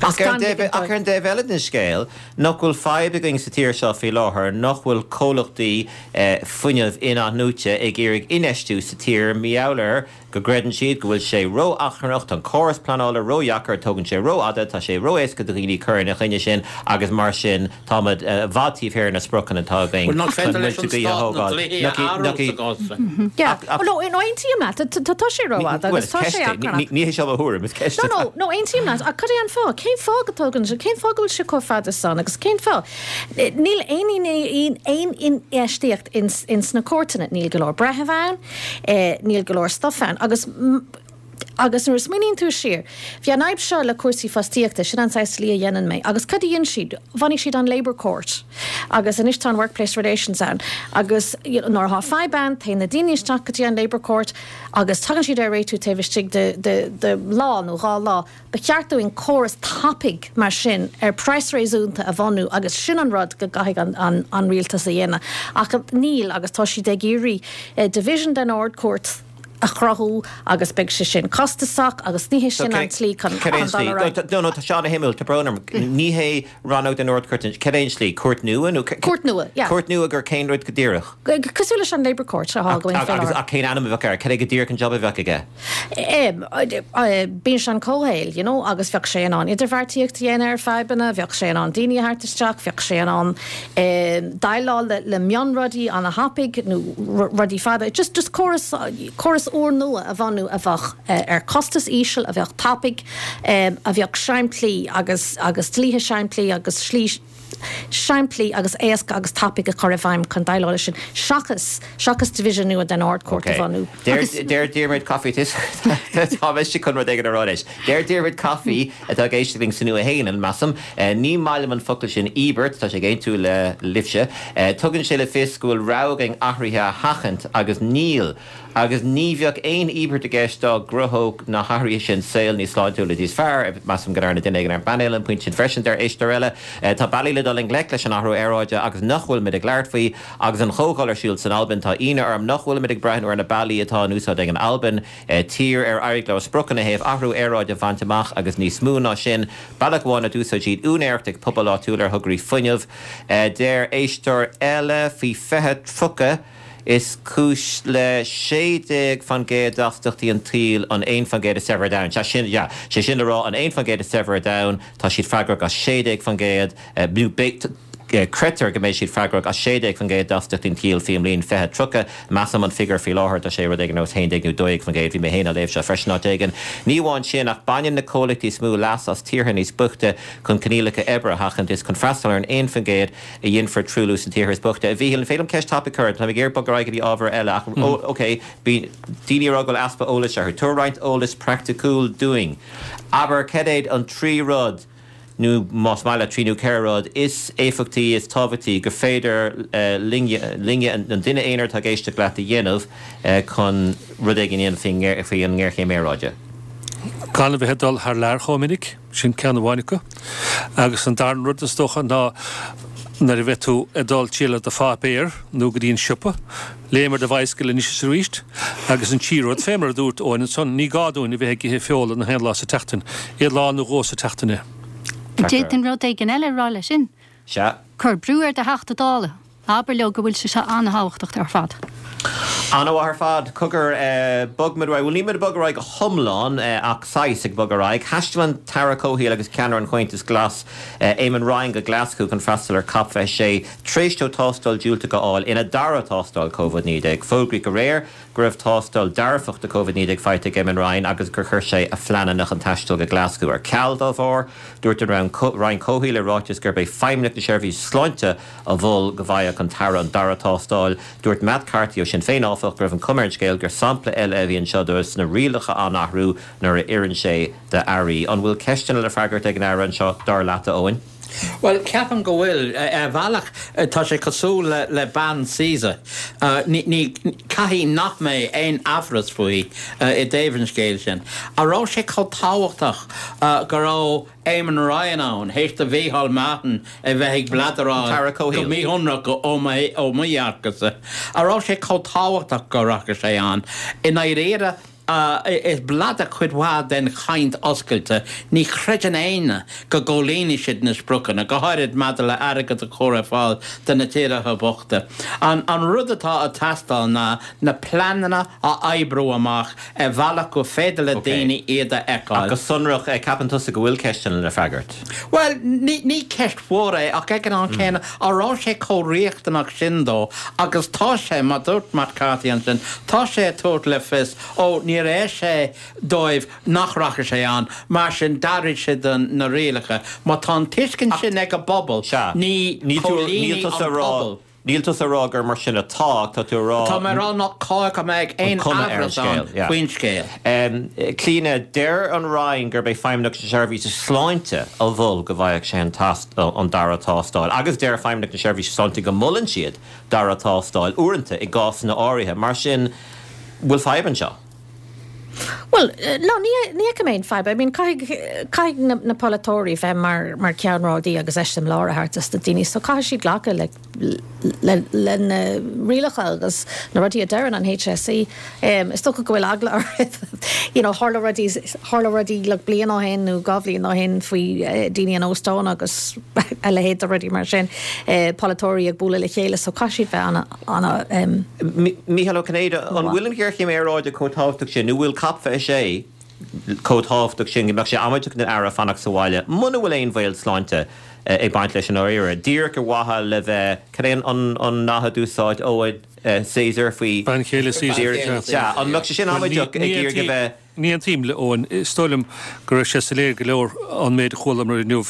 Speaker 1: Ach ar an dtaobh eile den scéal, nach bhfuil fadhb againn sa tír seo faoi láthair nach bhfuil comhlachtaí fuinnimh in-athnuaite ag iarraidh infheistiú sa tír mar gheall ar go gcreideann siad go bhfuil sé ró-achrannach, tá an córas pleanála ródheacair, tógann sé rófhada, tá sé ró-éasca do dhaoine cur ina choinne sin agus mar sin táimid i bhfad taobh thiar de na spriocanna atá againn
Speaker 5: Bhuel, nach
Speaker 1: chun
Speaker 5: féidir leis
Speaker 1: muilte
Speaker 5: an
Speaker 1: gaoithe a
Speaker 5: stát na
Speaker 1: thógáil.
Speaker 5: dlíthe a
Speaker 1: Nach
Speaker 5: athrú
Speaker 1: nach
Speaker 5: sa gcás sin?
Speaker 4: Yeah.
Speaker 1: Ach,
Speaker 4: No, no, aontaím leat. Tá tá sé rófhada
Speaker 1: bhuel,
Speaker 4: agus
Speaker 1: is
Speaker 4: tá sé
Speaker 1: ceist é.
Speaker 4: achrannach.
Speaker 1: Ní hé seo mo thuairim, is ceist
Speaker 4: No,
Speaker 1: atá.
Speaker 4: no, no, aontaím leat. Ach cad é an fáth? Cén fáth go dtógann sé, cén fáth go bhfuil sé chomh fada san agus cén fáth? Níl aon aon infheistíocht ins ins na cúirteanna. Níl go leor breitheamh ann. Níl go leor stuif ann agus. Agus nuair a smaoiníonn tú siar, bhí an fhadhb seo le cúrsaí fostaíochta, sin an saghas dlí a dhéanann mé, agus cad a dhein siad? Bhunaigh siad an Labour Court agus anois tá an Workplace Relations ann agus you know nuair atá fadhb ann téann na daoine isteach go dtí an Labour Court agus tagann siad ar réitiú taobh istigh de de de lá nó dhá lá. Ba cheart dúinn córas tapaidh mar sin ar praghas réasúnta a bhunú agus sin an rud go gcaithfidh an an rialtas a dhéanamh ach níl agus tá siad ag iarraidh division den Ard-Chúirt a chruthú agus beidh sé sin costasach agus ní hé sin an tslí chun dul ar aghaidh.
Speaker 1: No, no, tá sé ana-shuimiúil, tá brón orm. Ní hé rannóg den Ard-Chúirt, cad é an tslí? Cúirt nua nó?
Speaker 4: Cúirt nua, yeah.
Speaker 1: Cúirt nua gur cén rud go díreach?
Speaker 4: Cosúil leis an Labour Court atá againn faoi láthair.
Speaker 1: Ach cén ainm a bheadh air? Cad é go díreach an job a bheadh aige?
Speaker 4: Bíonn sé an comhshaoil, you know, agus bheadh sé in ann idirbheartaíocht a dhéanamh ar fadhbanna, bheadh sé in ann daoine a thabhairt isteach, bheadh sé in ann déileáil le mionrudaí ana-thapaidh nó rudaí fada. Just, just córas, córas úrnua a bhunú a bheadh ar chostas íseal, a bheadh tapaidh, a bheadh simplí agus, agus dlíthe simplí agus slí, simplí agus éasca agus tapaidh a chur i bhfeidhm chun déileáil leis sin, seachas, seachas division nua den Ard-Chúirt a bhunú.
Speaker 1: Deir, deir Diarmuid Coffey, tá mise chun rud éigin a rá anois. Deir Diarmuid Coffey, atá ag éisteacht linn sa Nua-Shéalainn, measaim, ní maith liom an focal sin íobairt, tá sé ag aontú le libhse. Tugann sé le fios go bhfuil rogha againn athruithe a sheachaint agus níl. Agus ní bheadh aon íobairt i gceist dá gcruthódh na hathruithe sin saol níos sláintiúla níos fearr. Measaim go ndearna duine éigin ar an bpainéal an pointe sin freisin, deir éisteoir eile. Tá bealaí le dul i ngleic leis an athrú aeráide agus nach bhfuilimid ag labhairt faoi. Agus an chomhdháil ar siúl san Albain, tá ionadh orm nach bhfuilimid ag breathnú ar na bealaí atá in úsáid ag an Albain, tír ar éirigh leo a spriocanna ó thaobh athrú aeráide a bhaint amach agus níos mó ná sin. Bealach amháin a d'úsáid siad úinéireacht ag pobail áitiúil ar thograí fuinnimh. Deir éisteoir eile faoi 2030. Is cúis le 16% d'astaíochtaí an tsaoil an 1% is saibhre ar domhan. Sea, sin, yeah, sé sin le rá, an 1% is saibhre ar domhan, tá siad freagrach as 16%, nó beidh, creidtear go mbeidh siad freagrach as 16% d'astaíochtaí an tsaoil faoin mbliain 2030. Measaim an figiúr faoi láthair, tá sé rud éigin ar nós 11 nó 12%. Bhí mé féin á léamh seo freisin áit éigin. Ní amháin sin, ach baineann na comhlachtaí is mó leas as tíortha níos boichte chun coinníollacha oibre a sheachaint. Is chun freastal ar an 1%, a dhéanfar truailliú sna tíortha is boichte. A Mhíchíl, an féidir liom ceist tapaidh a chur ort? Táim ag iarraidh bogadh ar aghaidh go dtí ábhar eile ach, ok, bíonn daoine ag rá go bhfuil easpa eolais orthu. Tabhair roinnt eolais praiticiúil dúinn. Abair, cad iad an trí rud, nó más maith leat trí nó ceithre rud, is éifeachtaí, is tábhachtaí gur féidir linne, linne, an duine aonair atá ag éisteacht leat a dhéanamh chun rud éigin a dhéanamh faoi an ngéarchéim aeráide?
Speaker 2: Gan a bheith ag dul thar lear chomh minic. Sin ceann amháin acu. Agus an darna rud, is dócha, ná nuair a bheidh tú ag dul triall ar do pháipéar nó go dtí an siopa, léim ar do bhicycle anois is arís. Agus an tríú rud, fé mar a dúirt Eoin ansan, ní gá dúinn a bheith ag ithe feola na haon lá sa tseachtain. Aon lá nó dhó sa tseachtain é.
Speaker 3: D'fhéadfainn rud éigin eile a rá leis sin.
Speaker 1: Sea.
Speaker 3: Cuir brú ar do Theachta Dála. Abair leo go bhfuil sé seo an-thábhachtach ar fad.
Speaker 1: An-mhaith ar fad. Cogar, bogfaimid ar aghaidh. Bhuel, níl muid ag bogadh ar aghaidh go hiomlán, ach saghas ag bogadh ar aghaidh. Thaistil an tAire Comhshaoil agus ceannaire an Chomhaontais Ghlais, Eamon Ryan go Glaschú chun freastal ar Cop 26 tar éis dó tástáil diúltach a fháil ina dara tástáil Covid-19. Fógraíodh aréir go raibh tástáil dearfach do Covid-19 faighte ag Eamon Ryan agus gur chuir sé a phleananna chun taisteal go Glaschú ar ceal dá bharr. Dúirt an Roinn Comhshaoil i ráiteas gurb é Feidhmeannacht na Seirbhíse Sláinte a mhol go bhfaigheadh an tAire an dara tástáil. Dúirt Matt Carthy ó Sinn Féin, áfach, go raibh an chuma ar an scéal gur sampla eile a bhí anseo de na rialacha á n-athrú nuair a oireann sé d'airí. An bhfuil ceisteanna le freagairt ag an Aire anseo, dar leat, a Eoin?
Speaker 5: Bhuel, ceapaim go bhfuil. Ar bhealach, tá sé cosúil le bean Caesar. Ní, caithfidh nach mbeidh aon amhras faoi i dtaobh an scéil sin. An raibh sé chomh tábhachtach go raibh Eamon Ryan ann, théis do Mhícheál Martin a bheith ag bladaráil go míshonrach ó mo dhearcadhsa? An raibh sé chomh tábhachtach go rachadh sé ann? I ndáiríre, Is bladar cuid mhaith den chaint oscailte. Ní chreideann éinne go gcomhlíonfaidh siad na spriocanna, go háirid maidir le airgead a chur ar fáil do na tíortha bochta. An rud atá ag teastáil ná na pleananna a oibriú amach ar bhealach gur féidir le daoine iad a fheiceáil.
Speaker 1: Ach go sonrach, ceapann tusa go bhfuil ceisteanna le freagairt?
Speaker 5: Bhuel, ní ceist mhór é, ach ag an am céanna, an raibh sé chomh riachtanach sin dó? Agus tá sé, mar dúirt Matt Carthy ansin, tá sé ag tabhairt le fios, ó, níor oir sé dóibh nach rachadh sé ann, mar sin d'athraigh siad na rialacha. Má tá an tuiscint sin ag an bpobal, ní chomhlíonfaidh an pobal.
Speaker 1: Níl tusa ag rá gur mar sin atá, ach tá tú ag rá.
Speaker 5: Tá mé ag rá nach cóir go mbeadh aon amhras ann faoin scéal.
Speaker 1: Clíona, deir an Roinn gurb é Feidhmeannacht na Seirbhíse Sláinte a mhol go bhfaigheadh sé an tast, an dara tástáil agus deir Feidhmeannacht na Seirbhíse Sláinte go molann siad dara tástáil uaireanta i gcásanna áirithe. Mar sin, bhfuil fadhb anseo?
Speaker 4: Bhuel, no, ní fheicim aon fadhb. I mean, caithfidh, caithfidh na, na polaiteoirí bheith mar, mar ceannródaí agus eiseamláir a thabhairt dos na daoine, so caithfidh siad glacadh le, le, le na rialacha agus na rudaí a deireann an HSE. Is dócha go bhfuil eagla orthu, you know, tharla rudaí, tharla rudaí like bliain ó shin nó 2 bhliain ó shin faoi daoine in óstáin agus a leithéid de rudaí mar sin, polaiteoirí ag bualadh le chéile, so caithfidh siad bheith ana, ana.
Speaker 1: Mícheál Ó Cinnéide, an bhfuil an ghéarchéim aeráide chomh tábhachtach sin, nó bhfuil Cop 26 chomh tábhachtach sin go mbeadh sé amaideach don Aire fanacht sa bhaile muna bhfuil aon bhaol sláinte ag baint leis i ndáiríre, díreach ar mhaithe le bheith, cad é an nath a d'úsáid Eoin Caesar faoi.
Speaker 2: Bean chéile Caesar,
Speaker 1: sea. An mbeadh sé sin amaideach ag iarraidh a bheith.
Speaker 2: Ní aontaím le Eoin. Is dóigh liom go raibh sé soiléir go leor ón méid a chualamar inniu.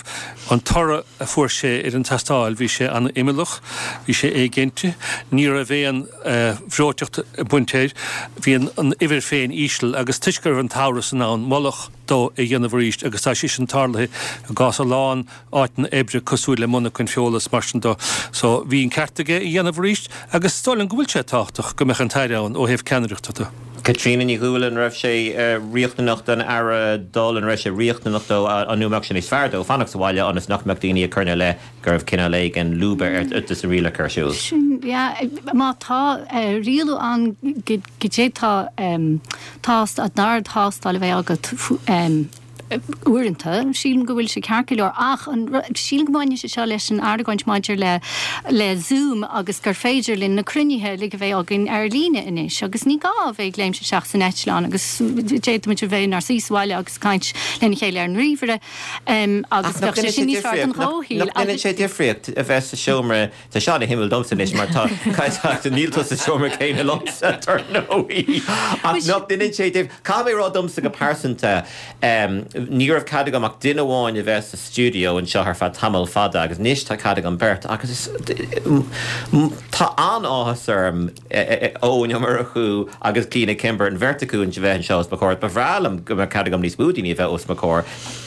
Speaker 2: An toradh a fuair sé ar an tastáil, bhí sé an-imeallach, bhí sé éiginnte, ní raibh aon bhreoiteacht ag baint air, bhí an uimhir féin íseal agus toisc go raibh an t-amhras ann, moladh dó é a dhéanamh arís agus tá sé sin tarlaithe i gcás a lán áiteanna oibre cosúil le monarchain feola is mar sin de. So bhí an ceart aige é a dhéanamh arís agus is dóigh liom go bhfuil sé tábhachtach go mbeadh an tAire ann ó thaobh ceannaireachta de.
Speaker 1: Caitríona Ní Dhúill, An raibh sé riachtanach don Aire dul, an raibh sé riachtanach dó, an nó mbeadh sé níos fearr dó fanacht sa bhaile ionas nach mbeadh daoine ag cur ina leith go raibh cineál éigin lúba ar de na rialacha ar siúl?
Speaker 3: Sin, yeah, má tá rialú ann go d'fhéadfá tástáil, an dara tástáil a bheith agat Uaireanta, sílim go bhfuil sé ceart go leor, ach an, sílim go mbaineann sé seo leis an argóint maidir le, le Zoom agus gur féidir linn na cruinnithe uilig a bheith againn ar líne anois agus ní gá a bheith ag léimt isteach san eitleán agus d'fhéadfaimis a bheith inár suí sa bhaile agus caint lena chéile ar an ríomhaire agus
Speaker 1: bheadh sé sin níos fearr don chomhshaol. Nach ndéanann sé difríocht a bheith sa seomra Tá seo ana-shuimiúil domsa anois mar tá, níl tú sa seomra céanna liomsa, dar ndóigh. Ach nach ndéanann sé dif-, caithfidh mé a rá domsa go pearsanta, ní raibh cead agam ach duine amháin a bheith sa stiúideo anseo ar feadh tamall fada agus anois tá cead agam beirt agus is, tá an-áthas orm Eoin Ó Murchú agus Clíona Kimber, an bheirt acu a bheith anseo os mo chomhair. Ba bhreá liom go mbeadh cead agam níos mó daoine a bheith os mo chomhair.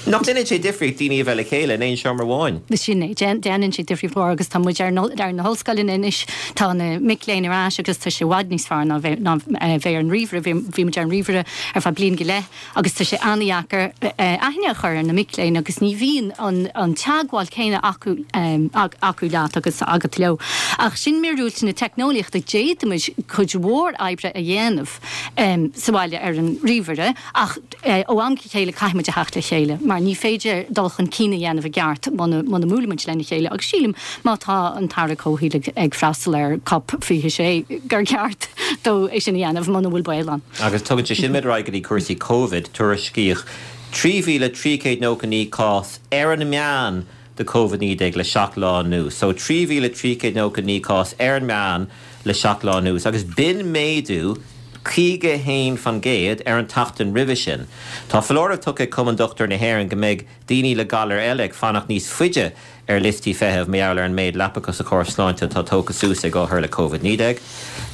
Speaker 1: Nach ndéanann sé difríocht daoine a bheith le chéile in aon seomra amháin?
Speaker 3: Sin é. Déanann sé difríocht mhór agus tá muid ar na hollscoileanna anois, tá na mic léinn ar ais agus tá sé i bhfad níos fearr ná bheith ar an ríomhaire. Bhí muid ar an ríomhaire ar feadh bliain go leith agus tá sé an-dheacair aithne a chur ar na mic léinn agus ní bhíonn an teagmháil céanna acu acu leat agus agat leo. Ach sin míorúilt na teicneolaíochta, d'fhéadfaimis cuid mhór oibre a dhéanamh sa bhaile ar an ríomhaire ach ó am go chéile caithfidh muid a theacht le chéile mar ní féidir dul chun cinn a dhéanamh i gceart muna muna mbuaileann muid lena chéile agus sílim má tá an tAire Comhshaoil ag freastal ar Cop 26 gur ceart dó é sin a dhéanamh muna bhfuil baol ann.
Speaker 1: Agus tugann sé sin muid ar aghaidh go dtí cúrsaí Covid. Tuairiscíodh 3,399 cás ar an meán de Covid-19 le 7 lá anuas. So 3,399 cás ar an meán le 7 lá anuas agus b'in méadú 51% ar an tseachtain roimhe sin. Tá foláireamh tugtha ag Cumann Dochtúirí na hÉireann go mbeidh daoine le galair eile ag fanacht níos faide ar liostaí feithimh mar gheall ar an méid leapacha sa chóras sláinte atá tógtha suas ag othair le Covid-19.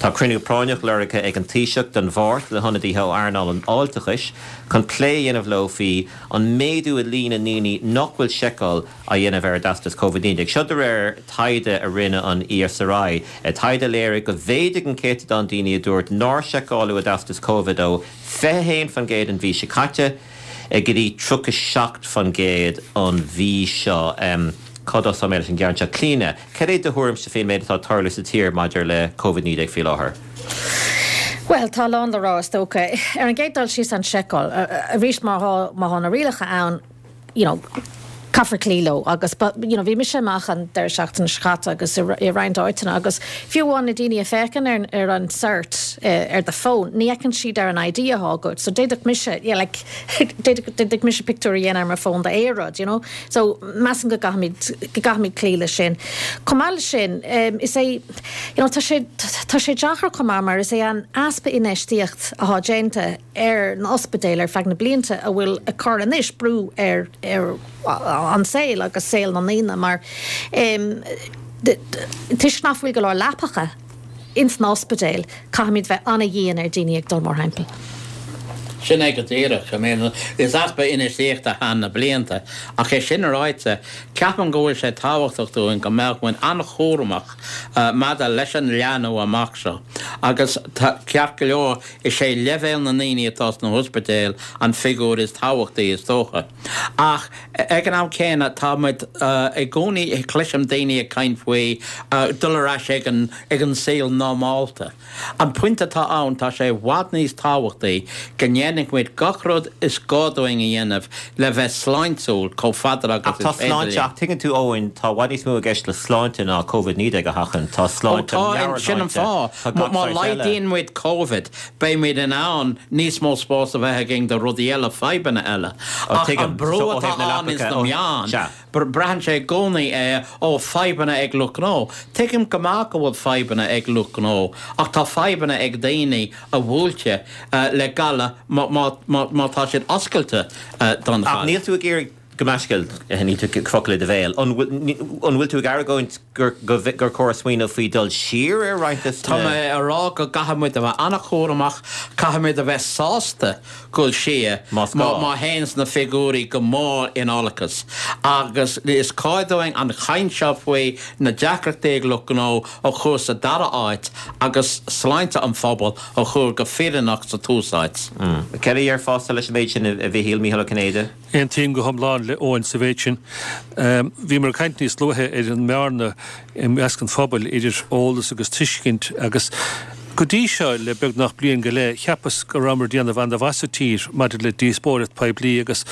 Speaker 1: Tá cruinniú práinneach lorgtha ag an Taoiseach don Mháirt le hionadaithe ó earnáil an fháilteachais chun plé a dhéanamh leo faoi an méadú i líon na ndaoine nach bhfuil seiceáil á dhéanamh ar a dteastas Covid-19. Seo de réir taighde a rinne an ESRI, taighde a léirigh go mhéadaigh an céatadán daoine a dúirt nár seiceáladh a dteastas Covid ó 21% an mhí seo caite go dtí 37% an mhí seo. Cá dtosóidh mé leis an gceann seo? Clíona, cad é do thuairimse faoin méid atá ag tarlú sa tír maidir le Covid-19 faoi láthair?
Speaker 4: Bhuel, tá a lán le rá, is dócha. Ar an gcéad dul síos, an tseiceáil. Arís, má tá na rialacha ann, you know, caithfear cloí leo agus ba, you know, bhí mise amach an deireadh seachtaine seo caite agus i i roinnt áiteanna agus fiú amháin na daoine a féachann ar ar an cert ar do phone, ní fheiceann siad ar an ID atá agat. So d'fhéadfadh mise, yeah, like, d'fhéadfadh d'fhéadfadh mise pictiúr a dhéanamh ar mo phone d'aon rud, you know. So measaim go gcaithfimid go gcaithfimid cloí leis sin. Chomh maith leis sin, is é, you know, tá sé tá sé deacair chomh maith mar is é an easpa infheistíocht atá déanta ar na ospidéil ar feadh na blianta a bhfuil ag cur anois brú ar ar an saol agus saol na ndaoine mar. Toisc nach bhfuil go leor leapacha ins na ospidéil, caithfimid bheith an-dhian ar daoine ag dul, mar shampla.
Speaker 5: Sin é go díreach. I mean, is easpa infheistíochta thar na blianta. Ach é sin ráite, ceapaim go bhfuil sé tábhachtach dúinn go mbeadh muid an-chúramach maidir leis an leathnú amach seo. Agus ceart go leor, is é leibhéal na ndaoine atá sna hospidéil an figiúr is tábhachtaí, is dócha. Ach ag an am céanna, tá muid i gcónaí, cloisim daoine ag caint faoi dul ar ais ag an ag an saol normálta. An pointe atá ann, tá sé i bhfad níos tábhachtaí go ndéanfaidh muid gach rud is gá dúinn a dhéanamh le bheith sláintiúil chomh fada
Speaker 1: agus
Speaker 5: is
Speaker 1: Ach tá
Speaker 5: féidir
Speaker 1: sláinte,
Speaker 5: linn.
Speaker 1: ach tuigeann tú Eoin, tá i bhfad níos mó i gceist le sláinte ná Covid-19 a sheachaint. Tá
Speaker 5: Ó
Speaker 1: sláinte,
Speaker 5: tá, sin an
Speaker 1: meabhairshláinte,
Speaker 5: fáth.
Speaker 1: tá gach
Speaker 5: Má
Speaker 1: saghas eile.
Speaker 5: laghdaíonn muid Covid, beimid in ann níos mó spáis a bheith againn do rudaí eile, fadhbanna eile.
Speaker 1: Ó
Speaker 5: Ach
Speaker 1: tuigim.
Speaker 5: an brú
Speaker 1: So ó
Speaker 5: atá
Speaker 1: thaobh na
Speaker 5: ann ins
Speaker 1: leapacha,
Speaker 5: na
Speaker 1: ó,
Speaker 5: meáin,
Speaker 1: sea.
Speaker 5: Braitheann sé i gcónaí é, ó, fadhbanna ag lucht gnó. Tuigim go maith go bhfuil fadhbanna ag lucht gnó, ach tá fadhbanna ag daoine a bhuailte le galar má tá siad oscailte don
Speaker 1: Ach
Speaker 5: ghalar.
Speaker 1: níl tú ag iarraidh, gabh mo leithscéal, níl tú ag focal i do bhéal. An bhfuil tú ag argóint gur chóir smaoineamh faoi dul siar ar roinnt de
Speaker 5: Tá
Speaker 1: na.
Speaker 5: mé a rá go gcaithfidh muid a bheith an-chúramach, caithfidh muid a bheith sásta dul siar
Speaker 1: Más gá.
Speaker 5: má théanns na figiúirí go mór in olcas. Agus is cóir dúinn an chaint seo faoi na deacrachtaí ag lucht gnó a chur sa dara áit agus sláinte an phobail a chur go fírinneach sa tús áit.
Speaker 1: Céard a déarfása leis an méid sin, a Mhichíl, Mícheál Ó Cinnéide?
Speaker 2: Aontaím go hiomlán le Eoin sa mhéid sin. Bhíomar ag caint níos luaithe ar an mbearna i measc an phobail idir eolas agus tuiscint agus go dtí seo, le beagnach bliain go leith, cheapas go rabhamar ag déanamh an-mhaith sa tír maidir le díospóireacht poiblí agus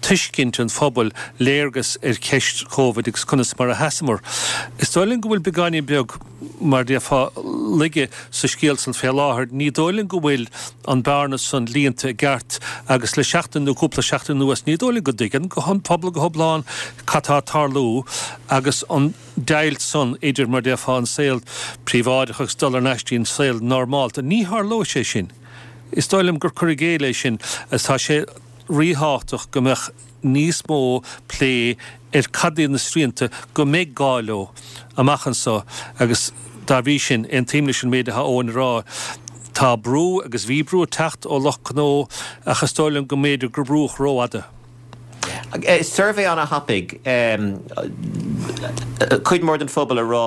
Speaker 2: tuiscint an phobail, léargas ar cheist Covid agus conas mar a sheasamar. Is dóigh liom go bhfuil beagáinín beag, mar a déarfá, laige sa scéal san fé láthair. Ní dóigh liom go bhfuil an bearna san líonta i gceart agus le seachtain nó cúpla seachtain anuas ní dóigh liom go dtuigeann an pobal go hiomlán cad tá ag tarlú agus an deighilt san idir, mar a déarfá, an saol príobháideach agus dul thar n-ais dtí an saol normálta. Ní tharlóidh sé sin. Is dóigh liom gur cur i gcéill é sin agus tá sé ríthábhachtach go mbeadh níos mó plé ar cad iad na srianta go mbeidh gá leo amach anso agus dá bhrí sin, aontaím leis an méid atá Eoin a rá. Tá brú agus bhí brú ag teacht ó lucht gnó ach is dóigh liom go mb'fhéidir gur brúdh rófhada.
Speaker 1: Suirbhé ana-thapaidh, cuid mhór den phobal ag rá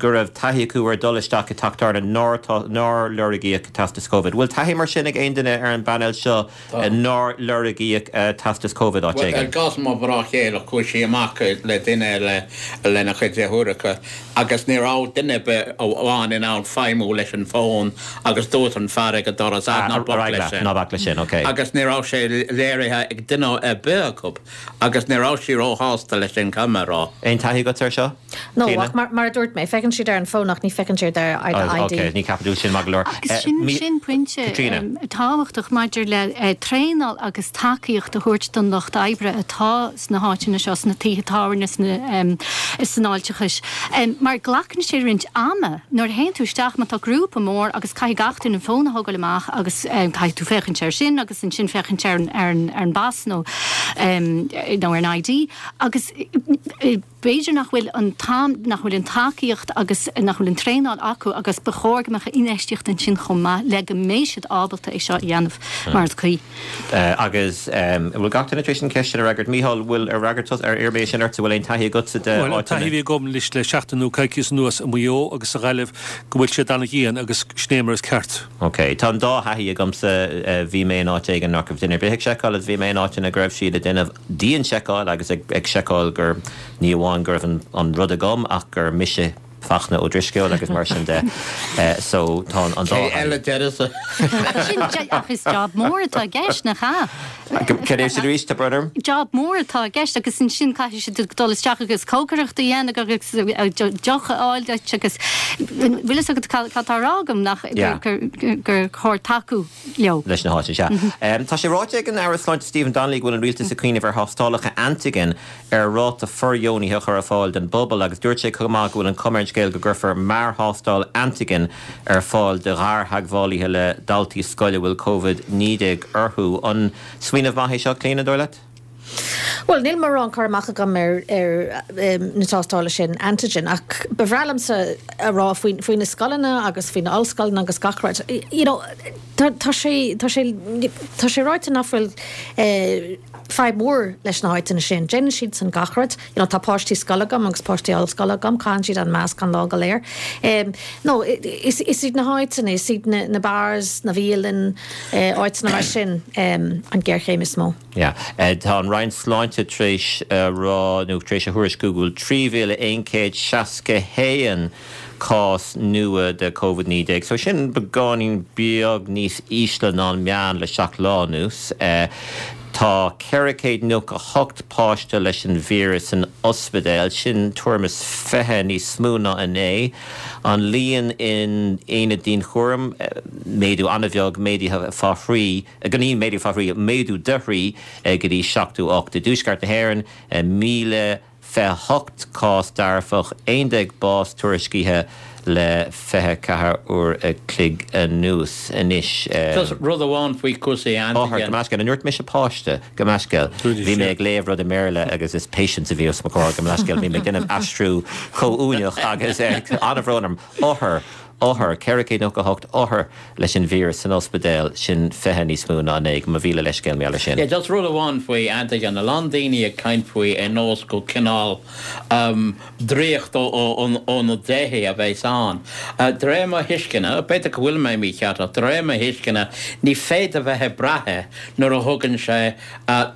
Speaker 1: go raibh taithí acu ar dhul isteach i dteach tábhairne nár lorgaíodh teastas Covid. Bhfuil taithí mar sin ag aon duine ar an bpainéal seo nár lorgaíodh teastas Covid áit
Speaker 5: Bhuel, i
Speaker 1: éigin?
Speaker 5: gcás mo mhná chéile, chuaigh sí amach le duine eile lena chuid deartháireacha agus ní raibh duine ar bith amháin in ann feidhmiú leis an bhfón agus dúirt an fear ag an doras, ah, ná bac leis sin.
Speaker 1: Ná bac leis sin, ok.
Speaker 5: Agus ní raibh sé léirithe ag duine ar bith acu agus ní raibh sí róshásta leis sin, caithfidh mé a rá.
Speaker 1: Aon taithí agat air seo?
Speaker 4: No, ach mar a dúirt mé, féachann siad ar an bhfón ach ní féachann siad ar ID.
Speaker 1: Ok, ní ceapaim sin maith go leor.
Speaker 3: Agus sin, sin pointe tábhachtach maidir le traenáil agus tacaíocht a thabhairt don lucht oibre atá sna háiteanna seo, sna tithe tábhairne, sna, san fháilteachais. Mar glacann sé roinnt ama nuair a théann tú isteach, má tá grúpa mór agus caithfidh gach duine an fón a thógáil amach agus caithfidh tú féachaint air sin agus ansin féachaint ar an, ar an bpas nó, nó ar an ID agus b'fhéidir nach bhfuil an t-am, nach bhfuil an tacaíocht agus nach bhfuil an traenáil acu agus ba chóir go mbeadh infheistíocht ansin chomh maith le go mbeidh siad ábalta é seo a dhéanamh mar is cuí.
Speaker 1: Agus an bhfuil gach duine tar éis an cheist sin a fhreagairt? Mícheál, bhfuil ar fhreagair tusa, ar iarr mé sin ortsa, bhfuil aon taithí agatsa de
Speaker 2: Bhuel, an taithí
Speaker 1: áiteanna?
Speaker 2: a bhí agam anois le seachtain nó coicíos anuas i Maigh Eo agus sa Ghaillimh go bhfuil siad an-dhian agus sin é mar is ceart.
Speaker 1: Ok. Tá an dá thaithí agamsa, bhí mé in áit éigin nach raibh duine ar bith ag seiceáil agus bhí mé in áiteanna go raibh siad ag déanamh dianseiceáil agus ag seiceáil gur, ní amháin go raibh an rud agam ach gur mise Fachtna Ó Drisceoil agus mar sin de. So tá an dá
Speaker 5: Cé eile deireadh?
Speaker 3: Sin, ach is job mór atá i gceist, nach ea?
Speaker 1: Cad é sin arís, tá brón orm?
Speaker 3: Job mór atá i gceist agus ansin caithfidh siad dul isteach agus cócaireacht a dhéanamh agus deoch a fháil duit agus bhfuil fhios agat cad tá á rá agam nach gur chóir tacú. leo.
Speaker 1: leis na háiteanna, sea. Tá sé ráite ag an Aire Sláinte Stephen Donnelly go bhfuil an Rialtas ag cuimhneamh ar thástálacha antaigin ar ráta fordheonaithe a chur ar fáil don bpobal agus dúirt sé chomh maith go bhfuil an chuma ar an scéal go gcuirfear mearthástáil antaigin ar fáil do ghartheagmhálaithe le daltaí scoile a bhfuil Covid-19 orthu. An smaoineamh maith é seo, Clíona, an dóigh leat?
Speaker 4: Bhuel, níl mórán cur amach agam ar na tástála sin antigen ach ba bhreá liomsa a rá faoi faoi na scoileanna agus faoi na ollscoileanna agus gach rud, you know, tá tá sé tá sé tá sé ráite nach bhfuil fadhb mhór leis na háiteanna sin. Déanann siad san gach rud. You know, tá páistí scoile agam agus páistí ollscoile agam, caitheann siad an masc an lá go léir. No, is is iad na háiteanna, is iad na na bars, na bialanna, áiteanna mar sin an géarchéim is mó.
Speaker 1: Yeah. Tá an Roinn Sláinte tar éis a rá, nó tar éis a thuairisciú go bhfuil 3,161 cás nua de Covid-19. So sin beagáinín beag níos ísle ná an meán le 7 lá anuas. Tá 498 páiste leis an víreas san ospidéal, sin tuairim is 20 níos mó ná inné. An líon in aonaid dianchúraim, méadú an-bheag, méadaithe fá thrí. Ní méadú fá thrí, méadú de thrí go dtí 78. I dtuaisceart na hÉireann, 1,028 cás dearfach, 11 bás tuairiscithe le 24 uair a chloig anuas. Anois.
Speaker 5: Just rud amháin faoi chúrsaí
Speaker 1: antigen. Gabh mo leithscéal, an ndúirt mise páiste? Gabh mo leithscéal. Bhí mé ag léamh rud i mBéarla agus is patients a bhí os mo chomhair. Gabh mo leithscéal, bhí mé ag déanamh aistriú comhuaineach agus an-bhrón orm. Othar. Othar, 498 othar leis an víreas san ospidéal, sin 20 níos mó ná inné. Mo mhíle leithscéal mar gheall air sin.
Speaker 5: Yeah, just rud amháin faoi antigen, a lán daoine ag caint faoi ar nós go cineál draíocht ó na déithe a bheas ann. De réir mo thuisceana, b'fhéidir go bhfuil mé mícheart ach de réir mo thuisceana ní féidir bheith ag brath air nuair a thugann sé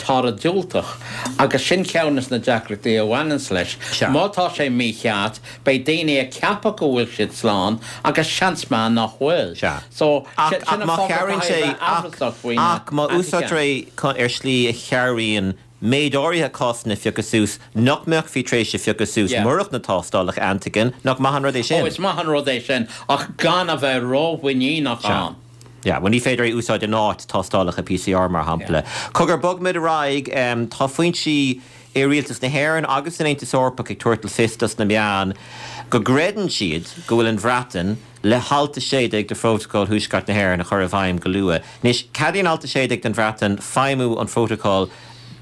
Speaker 5: toradh diúltach agus sin ceann des na deacrachtaí a bhaineanns leis. Má tá sé mícheart, Beidh daoine ag ceapadh go bhfuil siad slán agus seans maith nach bhfuil.
Speaker 1: Sea.
Speaker 5: So,
Speaker 1: Ach,
Speaker 5: sin
Speaker 1: ach
Speaker 5: an
Speaker 1: má
Speaker 5: fáth go
Speaker 1: chabhraíonn
Speaker 5: gcaithfidh
Speaker 1: sé,
Speaker 5: a bheith
Speaker 1: ach,
Speaker 5: amhrasach faoi na
Speaker 1: ach má
Speaker 5: antigen.
Speaker 1: úsáidtear é ar shlí a chabhraíonn méid áirithe cásanna a phiocadh suas nach mbeifí tar éis a phiocadh suas
Speaker 5: Yeah.
Speaker 1: murach na tástálacha antigen, nach maith an rud é
Speaker 5: Oh,
Speaker 1: sin?
Speaker 5: is maith an rud é sin, ach gan a bheith rómhuiníneach
Speaker 1: Sea.
Speaker 5: ann.
Speaker 1: Yeah, bhuel ní féidir é a úsáid in áit tástálacha PCR mar shampla. Cogar, bogfaimid ar aghaidh, tá foinsí i rialtas na hÉireann agus san Aontas Eorpach ag tabhairt le fios dos na meáin go gcreideann siad go bhfuil an Bhreatain le hAlt 16 de Phrótacal Thuaisceart na hÉireann a chur i bhfeidhm go luath. Anois, ceadaíonn Alt 16 don Bhreatain feidhmiú an Phrótacail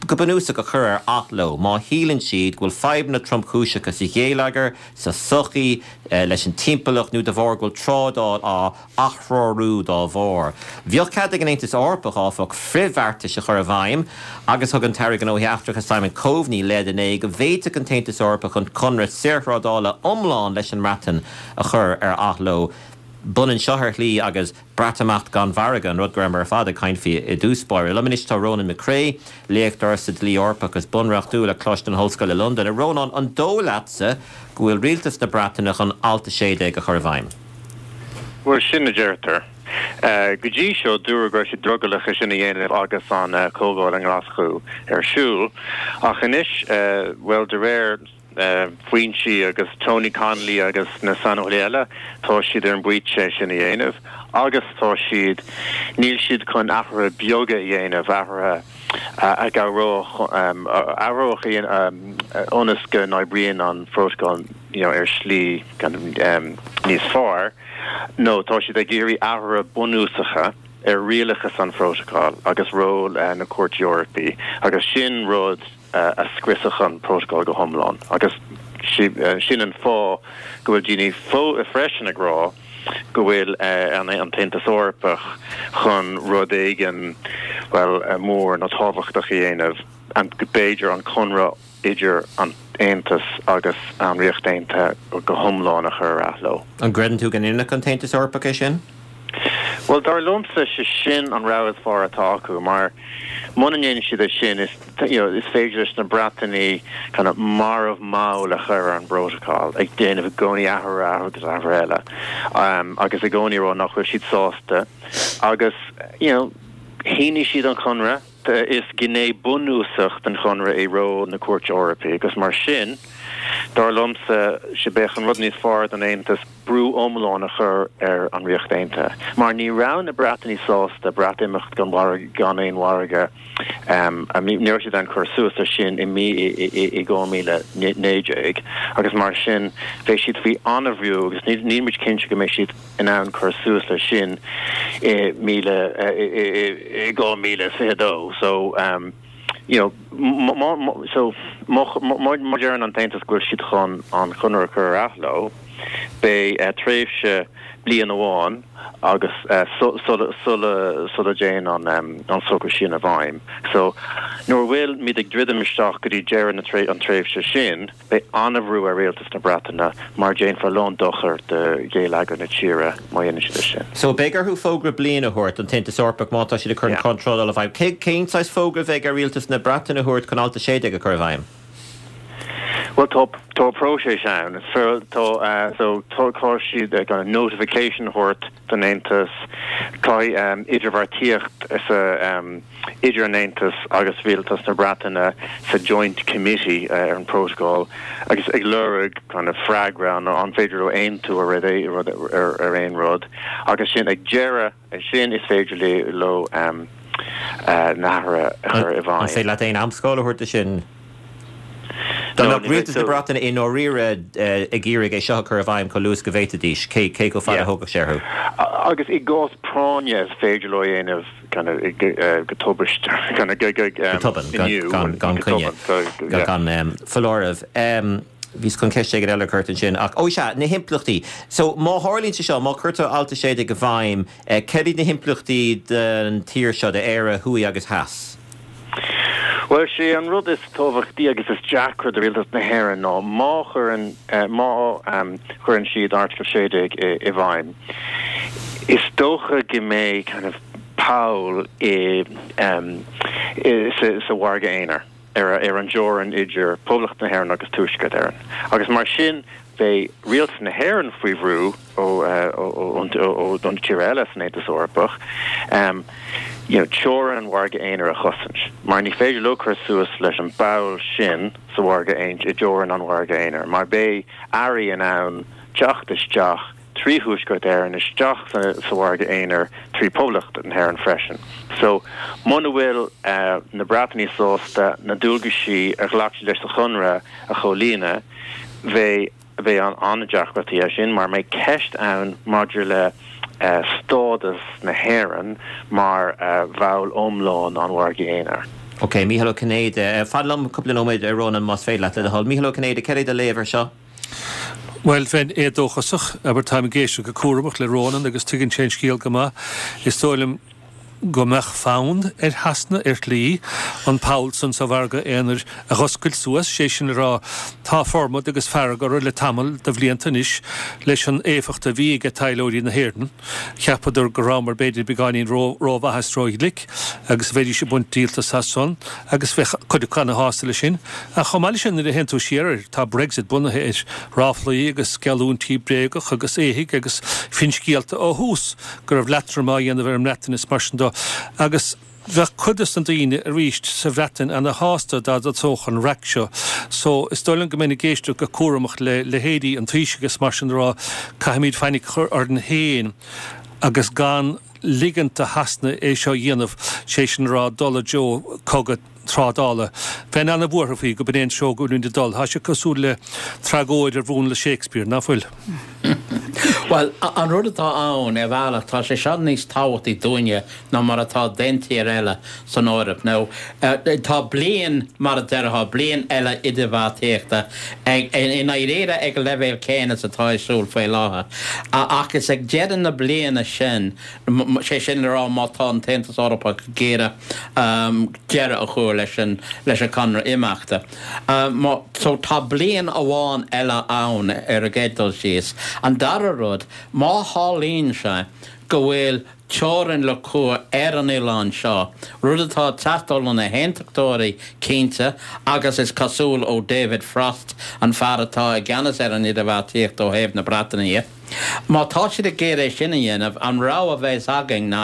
Speaker 1: go bunúsach a chur ar athló má shíleann siad go bhfuil fadhbanna tromchúiseacha sa gheilleagar, sa tsochaí, leis an timpeallacht nó de bharr go bhfuil trádáil á athreorú dá bharr. Bheadh cead ag an Aontas Eorpach, áfach, frithbheartais a chur i bhfeidhm agus thug an tAire Gnóthaí Eachtracha Simon Coveney leid inné go bhféadfadh an tAontas Eorpach an conradh saorthrádála iomlán leis an mBreatain a chur ar athló. B'ionann seo ar shlí agus Breatimeacht gan mhargadh, an rud go rabhamar ar fad ag caint faoi i dtús báire. Liom anois tá Rónán McCrea, léachtóir sa dlí Eorpach agus bunreachtúil ag Coláiste na hOllscoile Londain. A Rónáin, an dóigh leatsa go bhfuil rialtas na Breataine chun Alt 16 a chur i bhfeidhm?
Speaker 6: Bhuel, sin a deirtear. Go dtí seo, dúradh go raibh siad drogallach é sin a dhéanamh agus an Chomhdháil i nGlaschú ar siúl. Ach anois, bhuel, de réir foinsí agus Tony Connelly agus na saineolaithe eile, tá siad ar an bpointe é sin a dhéanamh agus tá siad, níl siad chun athruithe beaga a dhéanamh, athruithe a chabhródh, a athródh ionas go n-oibríonn an Phrótacal ar shlí níos fearr, nó tá siad ag iarraidh athruithe bunúsacha ar rialachas an Phrótacail agus ról na Cúirte Eorpaí, agus sin rud a scriosfadh an Prótacal go hiomlán. Agus sin an fáth go bhfuil daoine freisin ag rá go bhfuil an tAontas Eorpach chun rud éigin, bhuel, mór nó tábhachtach a dhéanamh, b'fhéidir an conradh idir an tAontas agus an Ríocht Aontaithe go hiomlán a chur ar athló.
Speaker 1: An gcreideann tú go ndéanfadh an tAontas Eorpach é sin?
Speaker 6: Bhuel, dar liomsa, sé sin an rogha is fearr atá acu, mar muna ndéanann siad é sin, is, you know, is féidir leis na Breatanaigh kind of marbh mall a chur ar an bprótacal, ag déanamh i gcónaí athrú, athrú agus athrú eile, agus i gcónaí a rá nach bhfuil siad sásta. Agus, you know, shínigh siad an conradh, is gné bunúsach den chonradh é ról na Cúirte Eorpaí, agus mar sin, dar liomsa, sé bheadh an rud níos fearr don Aontas, brú iomlán a chur ar an Ríocht Aontaithe, mar ní raibh na Breatanaigh sásta Breatimeacht gan mhargadh, gan aon mhargadh, ní raibh siad in ann cur suas leis sin i mí i 2019 agus mar sin beidh siad faoi an-bhrú agus níl muid cinnte go mbeidh siad in ann cur suas leis sin i 2022. So. You know, má, má, so, má, má, má deireann an tAontas go bhfuil siad chun an conradh a chur ar athló, beidh tréimhse bliain amháin agus sula, sula, sula dtéann an, an socrú sin i bhfeidhm. So, nuair a bhfuil muid ag druidim isteach go dtí deireadh na tré, an tréimhse sin, Beidh an-bhrú ar rialtas na Breataine mar déanfar a lán dochair do gheilleagar na tíre má dhéanann siad é sin.
Speaker 1: So beidh orthu fógra bliana a thabhairt don tAontas Eorpach má tá siad ag cur an Conradh Trádála i bhfeidhm. Cén saghas fógra a bheidh ar rialtas na Breataine a thabhairt chun Alt 16 a chur i bhfeidhm?
Speaker 6: Bhuel tá tá próiseas ann. Tá so tá siad ag an notification a thabhairt don Aontas. Caithfidh idirbheartaíocht sa idir an Aontas agus Rialtas na Breataine sa Joint Committee ar an Protocol agus ag lorg kind of freagra an an féidir leo aontú ar rud ar aon rud agus sin ag deireadh sin is féidir leo na hathruithe a chur i
Speaker 1: bhfeidhm. An féidir leat aon amscála a thabhairt do sin? Dá mbeadh rialtas na Breataine i ndáiríre ag iarraidh é seo a chur i bhfeidhm chomh luath is go bhféadfaidís, cé chomh fada a thógfadh sé orthu?
Speaker 6: Agus i gcás práinne is féidir leo a dhéanamh kind of go tubaist, kind of go
Speaker 1: tobann, gan coinne, gan foláireamh. Bhíos chun ceist éigin eile a chur ort ansin ach, ó sea, na himpleachtaí. So má tharlaíonn sé seo, má chuirtear Alt 16 i bhfeidhm, Céard iad na himpleachtaí don tír seo, d'Éire thuaidh agus theas?
Speaker 6: Bhuel, sé an rud is tábhachtaí agus is deacra do Rialtas na hÉireann ná má chuireann, má chuireann siad Article 16 i bhfeidhm, is dócha go mbeidh kind of poll i, sa mhargadh aonair. ar an dteorainn idir Poblacht na hÉireann agus Tuaisceart Éireann, agus mar sin beidh Rialtas na hÉireann faoi bhrú ó ó na tíortha eile san Aontas Eorpach you know teorainn an mhargaidh aonair a chosaint, mar ní féidir leo cur suas leis an bpoll sin sa mhargadh i dteorainn an mhargaidh aonair, mar beidh earraí in ann teacht isteach trí Thuaisceart Éireann isteach sa mhargadh aonair trí Poblacht na hÉireann freisin. So, muna bhfuil na Breatanaigh sásta na dualgaisí a ghlac siad leis sa chonradh a chomhlíonadh, bheidh bheidh an-deacrachtaí as sin mar mbeidh ceist ann maidir le stádas na hÉireann mar bhall iomlán an mhargaidh aonair.
Speaker 1: Ok, Mícheál Ó Cinnéide, fan liom cúpla nóiméad, a Rónán, más féidir leat, le do thoil. Mícheál Ó Cinnéide, céard é do léamh ar seo?
Speaker 2: Bhuel, bheinn éadóchasach, abair, táim ag éisteacht go cúramach le Rónán agus tuigeann sé an scéal go maith. Is dóigh liom go mbeadh fonn ar Shasana, ar shlí, an poll san sa mhargadh aonair a dh'oscailt suas, sé sin le rá, tá formad agus fearg orthu le tamall de bhlianta anois leis an éifeacht a bhí aige taidhleoirí na hÉireann. Cheapadar go rabhamar b'fhéidir beagáinín rómhaith is róghlic agus bheidís ag baint díoltas as san agus bheadh cuid acu ana-shásta leis sin. Ach chomh maith leis sin nuair a théann tú siar air tá Brexit bunaithe ar ráflaí agus geallúintí bréagach agus éithigh agus finscéalta ó thús go raibh leatrom á dhéanamh ar an mBreatain is mar sin de agus Bheadh cuid des na daoine arís sa Bhreatain ana shásta dá dtosódh an raic seo so is dóigh liom go mbeinn ag éisteacht go cúramach le leithéidí an Taoisigh is mar sin a rá caithfimid fainic a chur orainn féin agus gan ligint do Shasana é seo a dhéanamh, sé sin a rá dul i dtreo cogadh trádála. Bheinn ana bhuartha faoi go b'in é an treo go bhfuilimid ag dul. Tá sé cosúil le tragóid ar mhúnla Shakespeare, ná fuil?
Speaker 5: Bhuel, an rud atá ann, ar bhealach, tá sé seo níos tábhachtaí dúinne ná mar atá d'aon tír eile san Eoraip. Now, tá bliain, mar a déarfá, bliain eile idirbheartaíochta ag, i ndáiríre ag an leibhéal céanna is atá ar siúl faoi láthair. Ach is ag deireadh na bliana sin, sé sin le rá má tá an tAontas Eorpach ag iarraidh deireadh a chur leis an, leis an conradh imeachta. So tá bliain amháin eile ann ar an gcéad dul síos. An dara rud, má tharlaíonn sé go bhfuil teorainn le cur ar an oileán seo, rud atá ag teastáil ó na hAontachtóirí, cinnte, agus is cosúil ó David Frost, an fear atá i gceannas ar an idirbheartaíocht ó thaobh na Breataine dhe. Má tá siad ag iarraidh é sin a dhéanamh, an rogha a bheas againn ná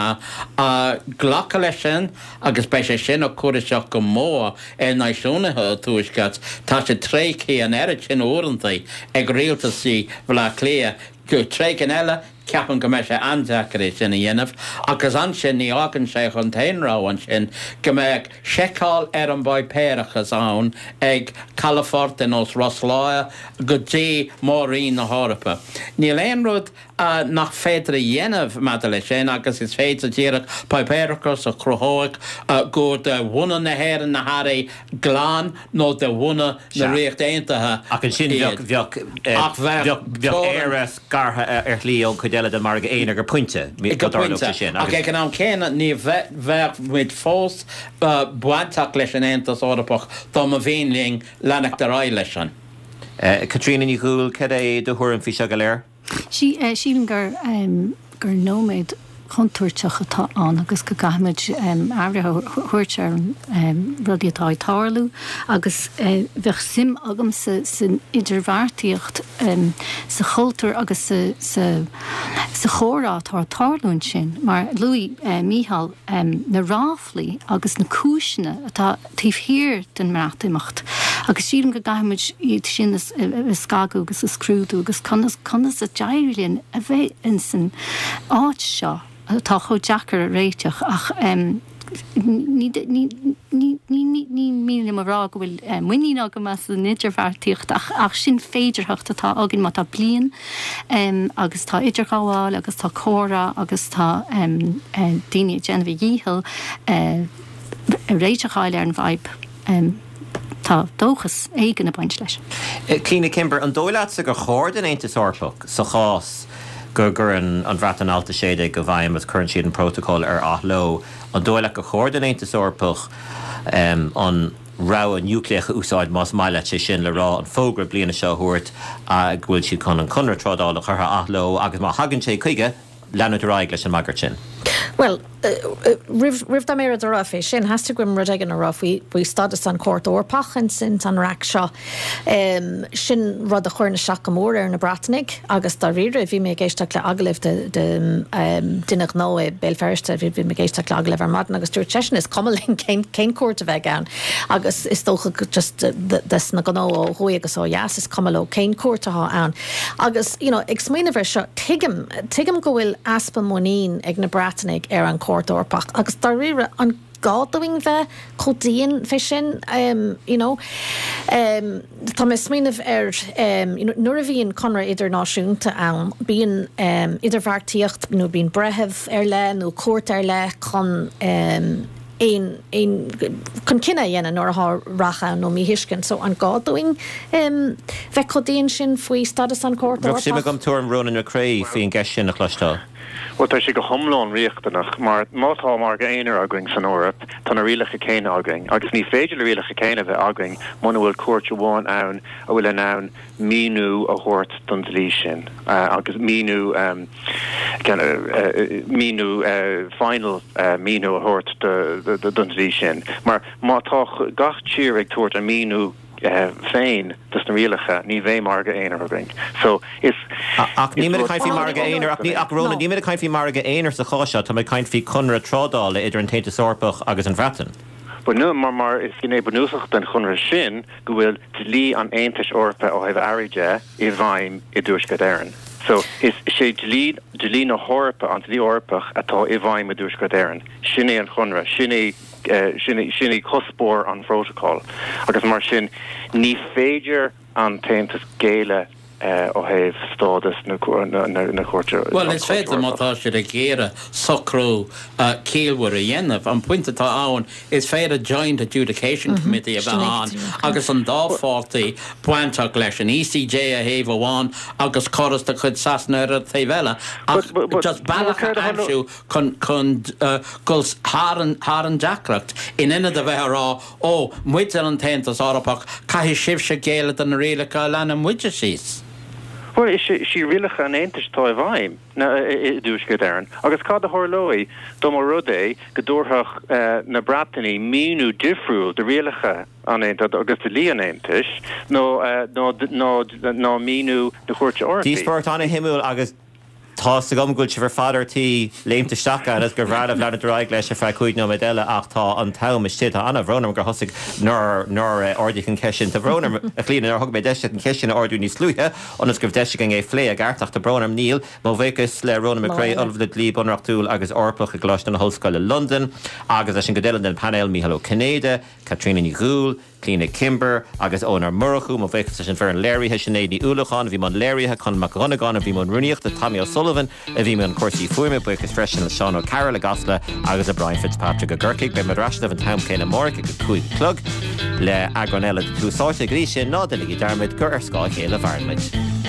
Speaker 5: glacadh leis sin agus beidh sé sin ag cur isteach go mór ar náisiúnaithe an Tuaiscirt. Tá siad tréigthe an oiread sin uaireanta ag rialtaisí Bhaile Átha Cliath. Tréigean eile, ceapaim go mbeidh sé an-deacair é sin a dhéanamh agus ansin ní fhágann sé ach an t-aon rogha ansin go mbeadh seiceáil ar an bpáipéarachas ann ag calafort ar nós Ros Láir go dtí Mór-Roinn na hEorpa. Níl aon rud. nach féidir a dhéanamh maidir leis sin agus is féidir díreach páipéarachas a chruthóidh gur de bhunadh na hÉireann na hearraí glan nó de bhunadh na Ríochta Aontaithe
Speaker 1: Ach ansin
Speaker 5: iad.
Speaker 1: bheadh,
Speaker 5: Ach
Speaker 1: bheadh,
Speaker 5: bheadh
Speaker 1: bheadh Éire scartha ar shlí ón chuid eile den mhargadh aonair go pointe,
Speaker 5: Go
Speaker 1: dá dtarlódh
Speaker 5: pointe.
Speaker 1: sé sin.
Speaker 5: Ach
Speaker 1: Agus.
Speaker 5: ag an am céanna ní bheadh muid fós bainteach leis an Aontas Eorpach dá mba mhian linn leanacht ar aghaidh leis an.
Speaker 1: Caitríona Ní Dhubhghaill, cad é do thuairim faoi seo go léir?
Speaker 3: Sílim gur gur nóiméad contúirteach atá ann agus go gcaithfimid aire a thabhairt ar rudaí atá ag tarlú agus bheadh suim agamsa san idirbheartaíocht, sa chultúr agus sa sa chomhrá atá ag tarlú ansin mar luaigh Mícheál na ráflaí agus na cúiseanna atá taobh thiar den mBreatimeacht agus sílim go gcaithfimid iad sin a scagadh agus a scrúdú agus conas conas a d'éirigh linn a bheith ins an áit seo atá chomh deacair a réiteach ach ní ní ní ní ní mian liom a rá go bhfuil muinín agam as an idirbheartaíocht ach ach sin féidearthacht atá againn má tá bliain agus tá idirghabháil agus tá comhrá agus tá daoine ag déanamh a dhícheall réiteach a fháil ar an bhfadhb. Tá dóchas éigin ag baint leis.
Speaker 1: Clíona Kimber, an dóigh leatsa gur chóir don Aontas Eorpach, sa chás go gcuireann an Bhreatain Alt 16 i bhfeidhm agus cuireann siad an Prótacal ar athló, an dóigh leat gur chóir don Aontas Eorpach an rogha núicléach a úsáid, más maith leat sé sin le rá, an fógra bliana seo a thabhairt go bhfuil siad chun an conradh trádála a chur ar athló agus má thagann sé chuige, leanúint ar aghaidh leis an mbagairt sin.
Speaker 4: Bhuel, roimh, roimh dom aon rud a rá fé sin, theastaigh uaim rud éigin a rá faoi, faoi stádas an Chúirt Eorpach ins, ins an raic seo. Sin rud a chuireann isteach go mór ar na Breatanaigh agus dáiríre, bhí mé ag éisteacht le agallamh de, de duine gnó i Béal Feirste, bhí, bhí mé ag éisteacht le agallamh ar maidin agus dúirt seisean is cuma linn cén, cén cúirt a bheidh ann agus is dócha go just des na gnó ó thuaidh agus ó dheas is cuma leo cén cúirt atá ann. Agus, you know, ag smaoineamh air seo, tuigim, tuigim go bhfuil easpa muinín ag na Breatanaigh ar an Chúirt Eorpach agus dáiríre, an gá dúinn bheith chomh dian fé sin, you know? Tá mé ag smaoineamh ar, you know, nuair a bhíonn conradh idirnáisiúnta ann, bíonn idirbheartaíocht nó bíonn breitheamh ar leith nó cúirt ar leith chun aon, aon, chun cinneadh a dhéanamh nuair atá raic ann nó míthuiscint. So an gá dúinn bheith chomh dian sin faoi stádas an Chúirt
Speaker 1: Bheadh suim
Speaker 4: Eorpach?
Speaker 1: agam tuairim Ronan McCrea faoin gceist sin a chloisteáil.
Speaker 6: Bhuel, tá sé go hiomlán riachtanach, mar má tá margadh aonair againn san Eoraip, tá na rialacha céanna againn, agus ní féidir na rialacha céanna a bheith againn muna bhfuil cúirt amháin ann a bhfuil in ann míniú a thabhairt don dlí sin, agus míniú, míniú final, míniú a thabhairt don dlí sin. Mar má tá gach tír ag tabhairt a míniú féin dos na rialacha, ní bheidh margadh aonair againn. So, is.
Speaker 1: Ach níl muid ag caint faoi margadh aonair, ach ní, ach Ronan, níl muid ag caint faoi margadh aonair sa chás seo, tá muid ag caint faoi conradh trádála idir an tAontas Eorpach agus an Bhreatain.
Speaker 6: But no, mar, mar is gné bunúsach den chonradh sin go bhfuil dlí an Aontais Eorpaigh ó thaobh earraí de i bhfeidhm i dTuaisceart Éireann. So, is é dlí, dlí na hEorpa, an dlí Eorpach atá i bhfeidhm i dTuaisceart Éireann. Sin é an chonradh, sin é, sin é, sin é cuspóir an phrótacail. Agus mar sin, ní féidir an tAontas géilleadh ó thaobh stádas na Cúirte
Speaker 5: Bhuel, is féidir má tá siad ag iarraidh socrú ciallmhar a dhéanamh. An pointe atá ann, is féidir Joint Adjudication Committee a bheith ann agus an dá pháirtí bainteach leis, an ECJ ar thaobh amháin agus córas de chuid Sasana ar an taobh eile, ach just bealach a aimsiú chun dul thar an deacracht, in ionad a bheith ag rá, Ó, muide an tAontas Eorpach, caithfidh sibhse géilleadh do na rialacha a leagann muide síos.
Speaker 6: Bhuel, is í rialacha an Aontais atá i bhfeidhm i dTuaisceart Éireann. Agus cad a tharlóidh dá mba rud é go dtabharfadh na Breatanaigh míniú difriúil do rialacha an Aontais agus do dhlí an Aontais ná míniú na Cúirte Eorpaí?
Speaker 1: Díospóireacht an-shuimiúil agus Tá's agam go bhfuil sibh ar fad ar tí léimt isteach ann agus gur bhreá libh leanúint ar aghaidh leis ar feadh 5 nóiméad eile ach tá an t-am istigh. Tá an-bhrón orm gur thosaigh nár nár ardaíodh an cheist sin. Tá brón orm, a Chlíona, nár thug mé deis duit an cheist sin a ardú níos luaithe ionas go raibh deis againn é a phlé i gceart ach tá brón orm níl. Mo bhuíochas le Ronan McCrea, Ollamh le Dlí Bunreachtúil agus Eorpach i gColáiste na hOllscoile Londain agus leis an gcuid eile den phainéal, Mícheál Ó Cinnéide, Caitríona Ní Dhubhghaill, Clíona Kimber agus Eoin Ó Murchú, mo bhuíochas leis an bhfoireann léirithe, Sinéad Ní Uallacháin a bhí i mbun léirithe, Conall Mac Dhonnagáin a bhí i mbun rúnaíochta, Tommy O'Sullivan. O'Sullivan a bhí i mbun cúrsaí fuaime. Buíochas freisin le Seán O'Carroll i gCasla agus le Brian Fitzpatrick i gCorcaigh. Beidh muid ar ais libh an t-am céanna amárach ag a 5 a chlog le eagrán eile de Tús Áite. Go dtí sin, ná déanaigí dearmad gur ar scáth a chéile a mhaireann muid.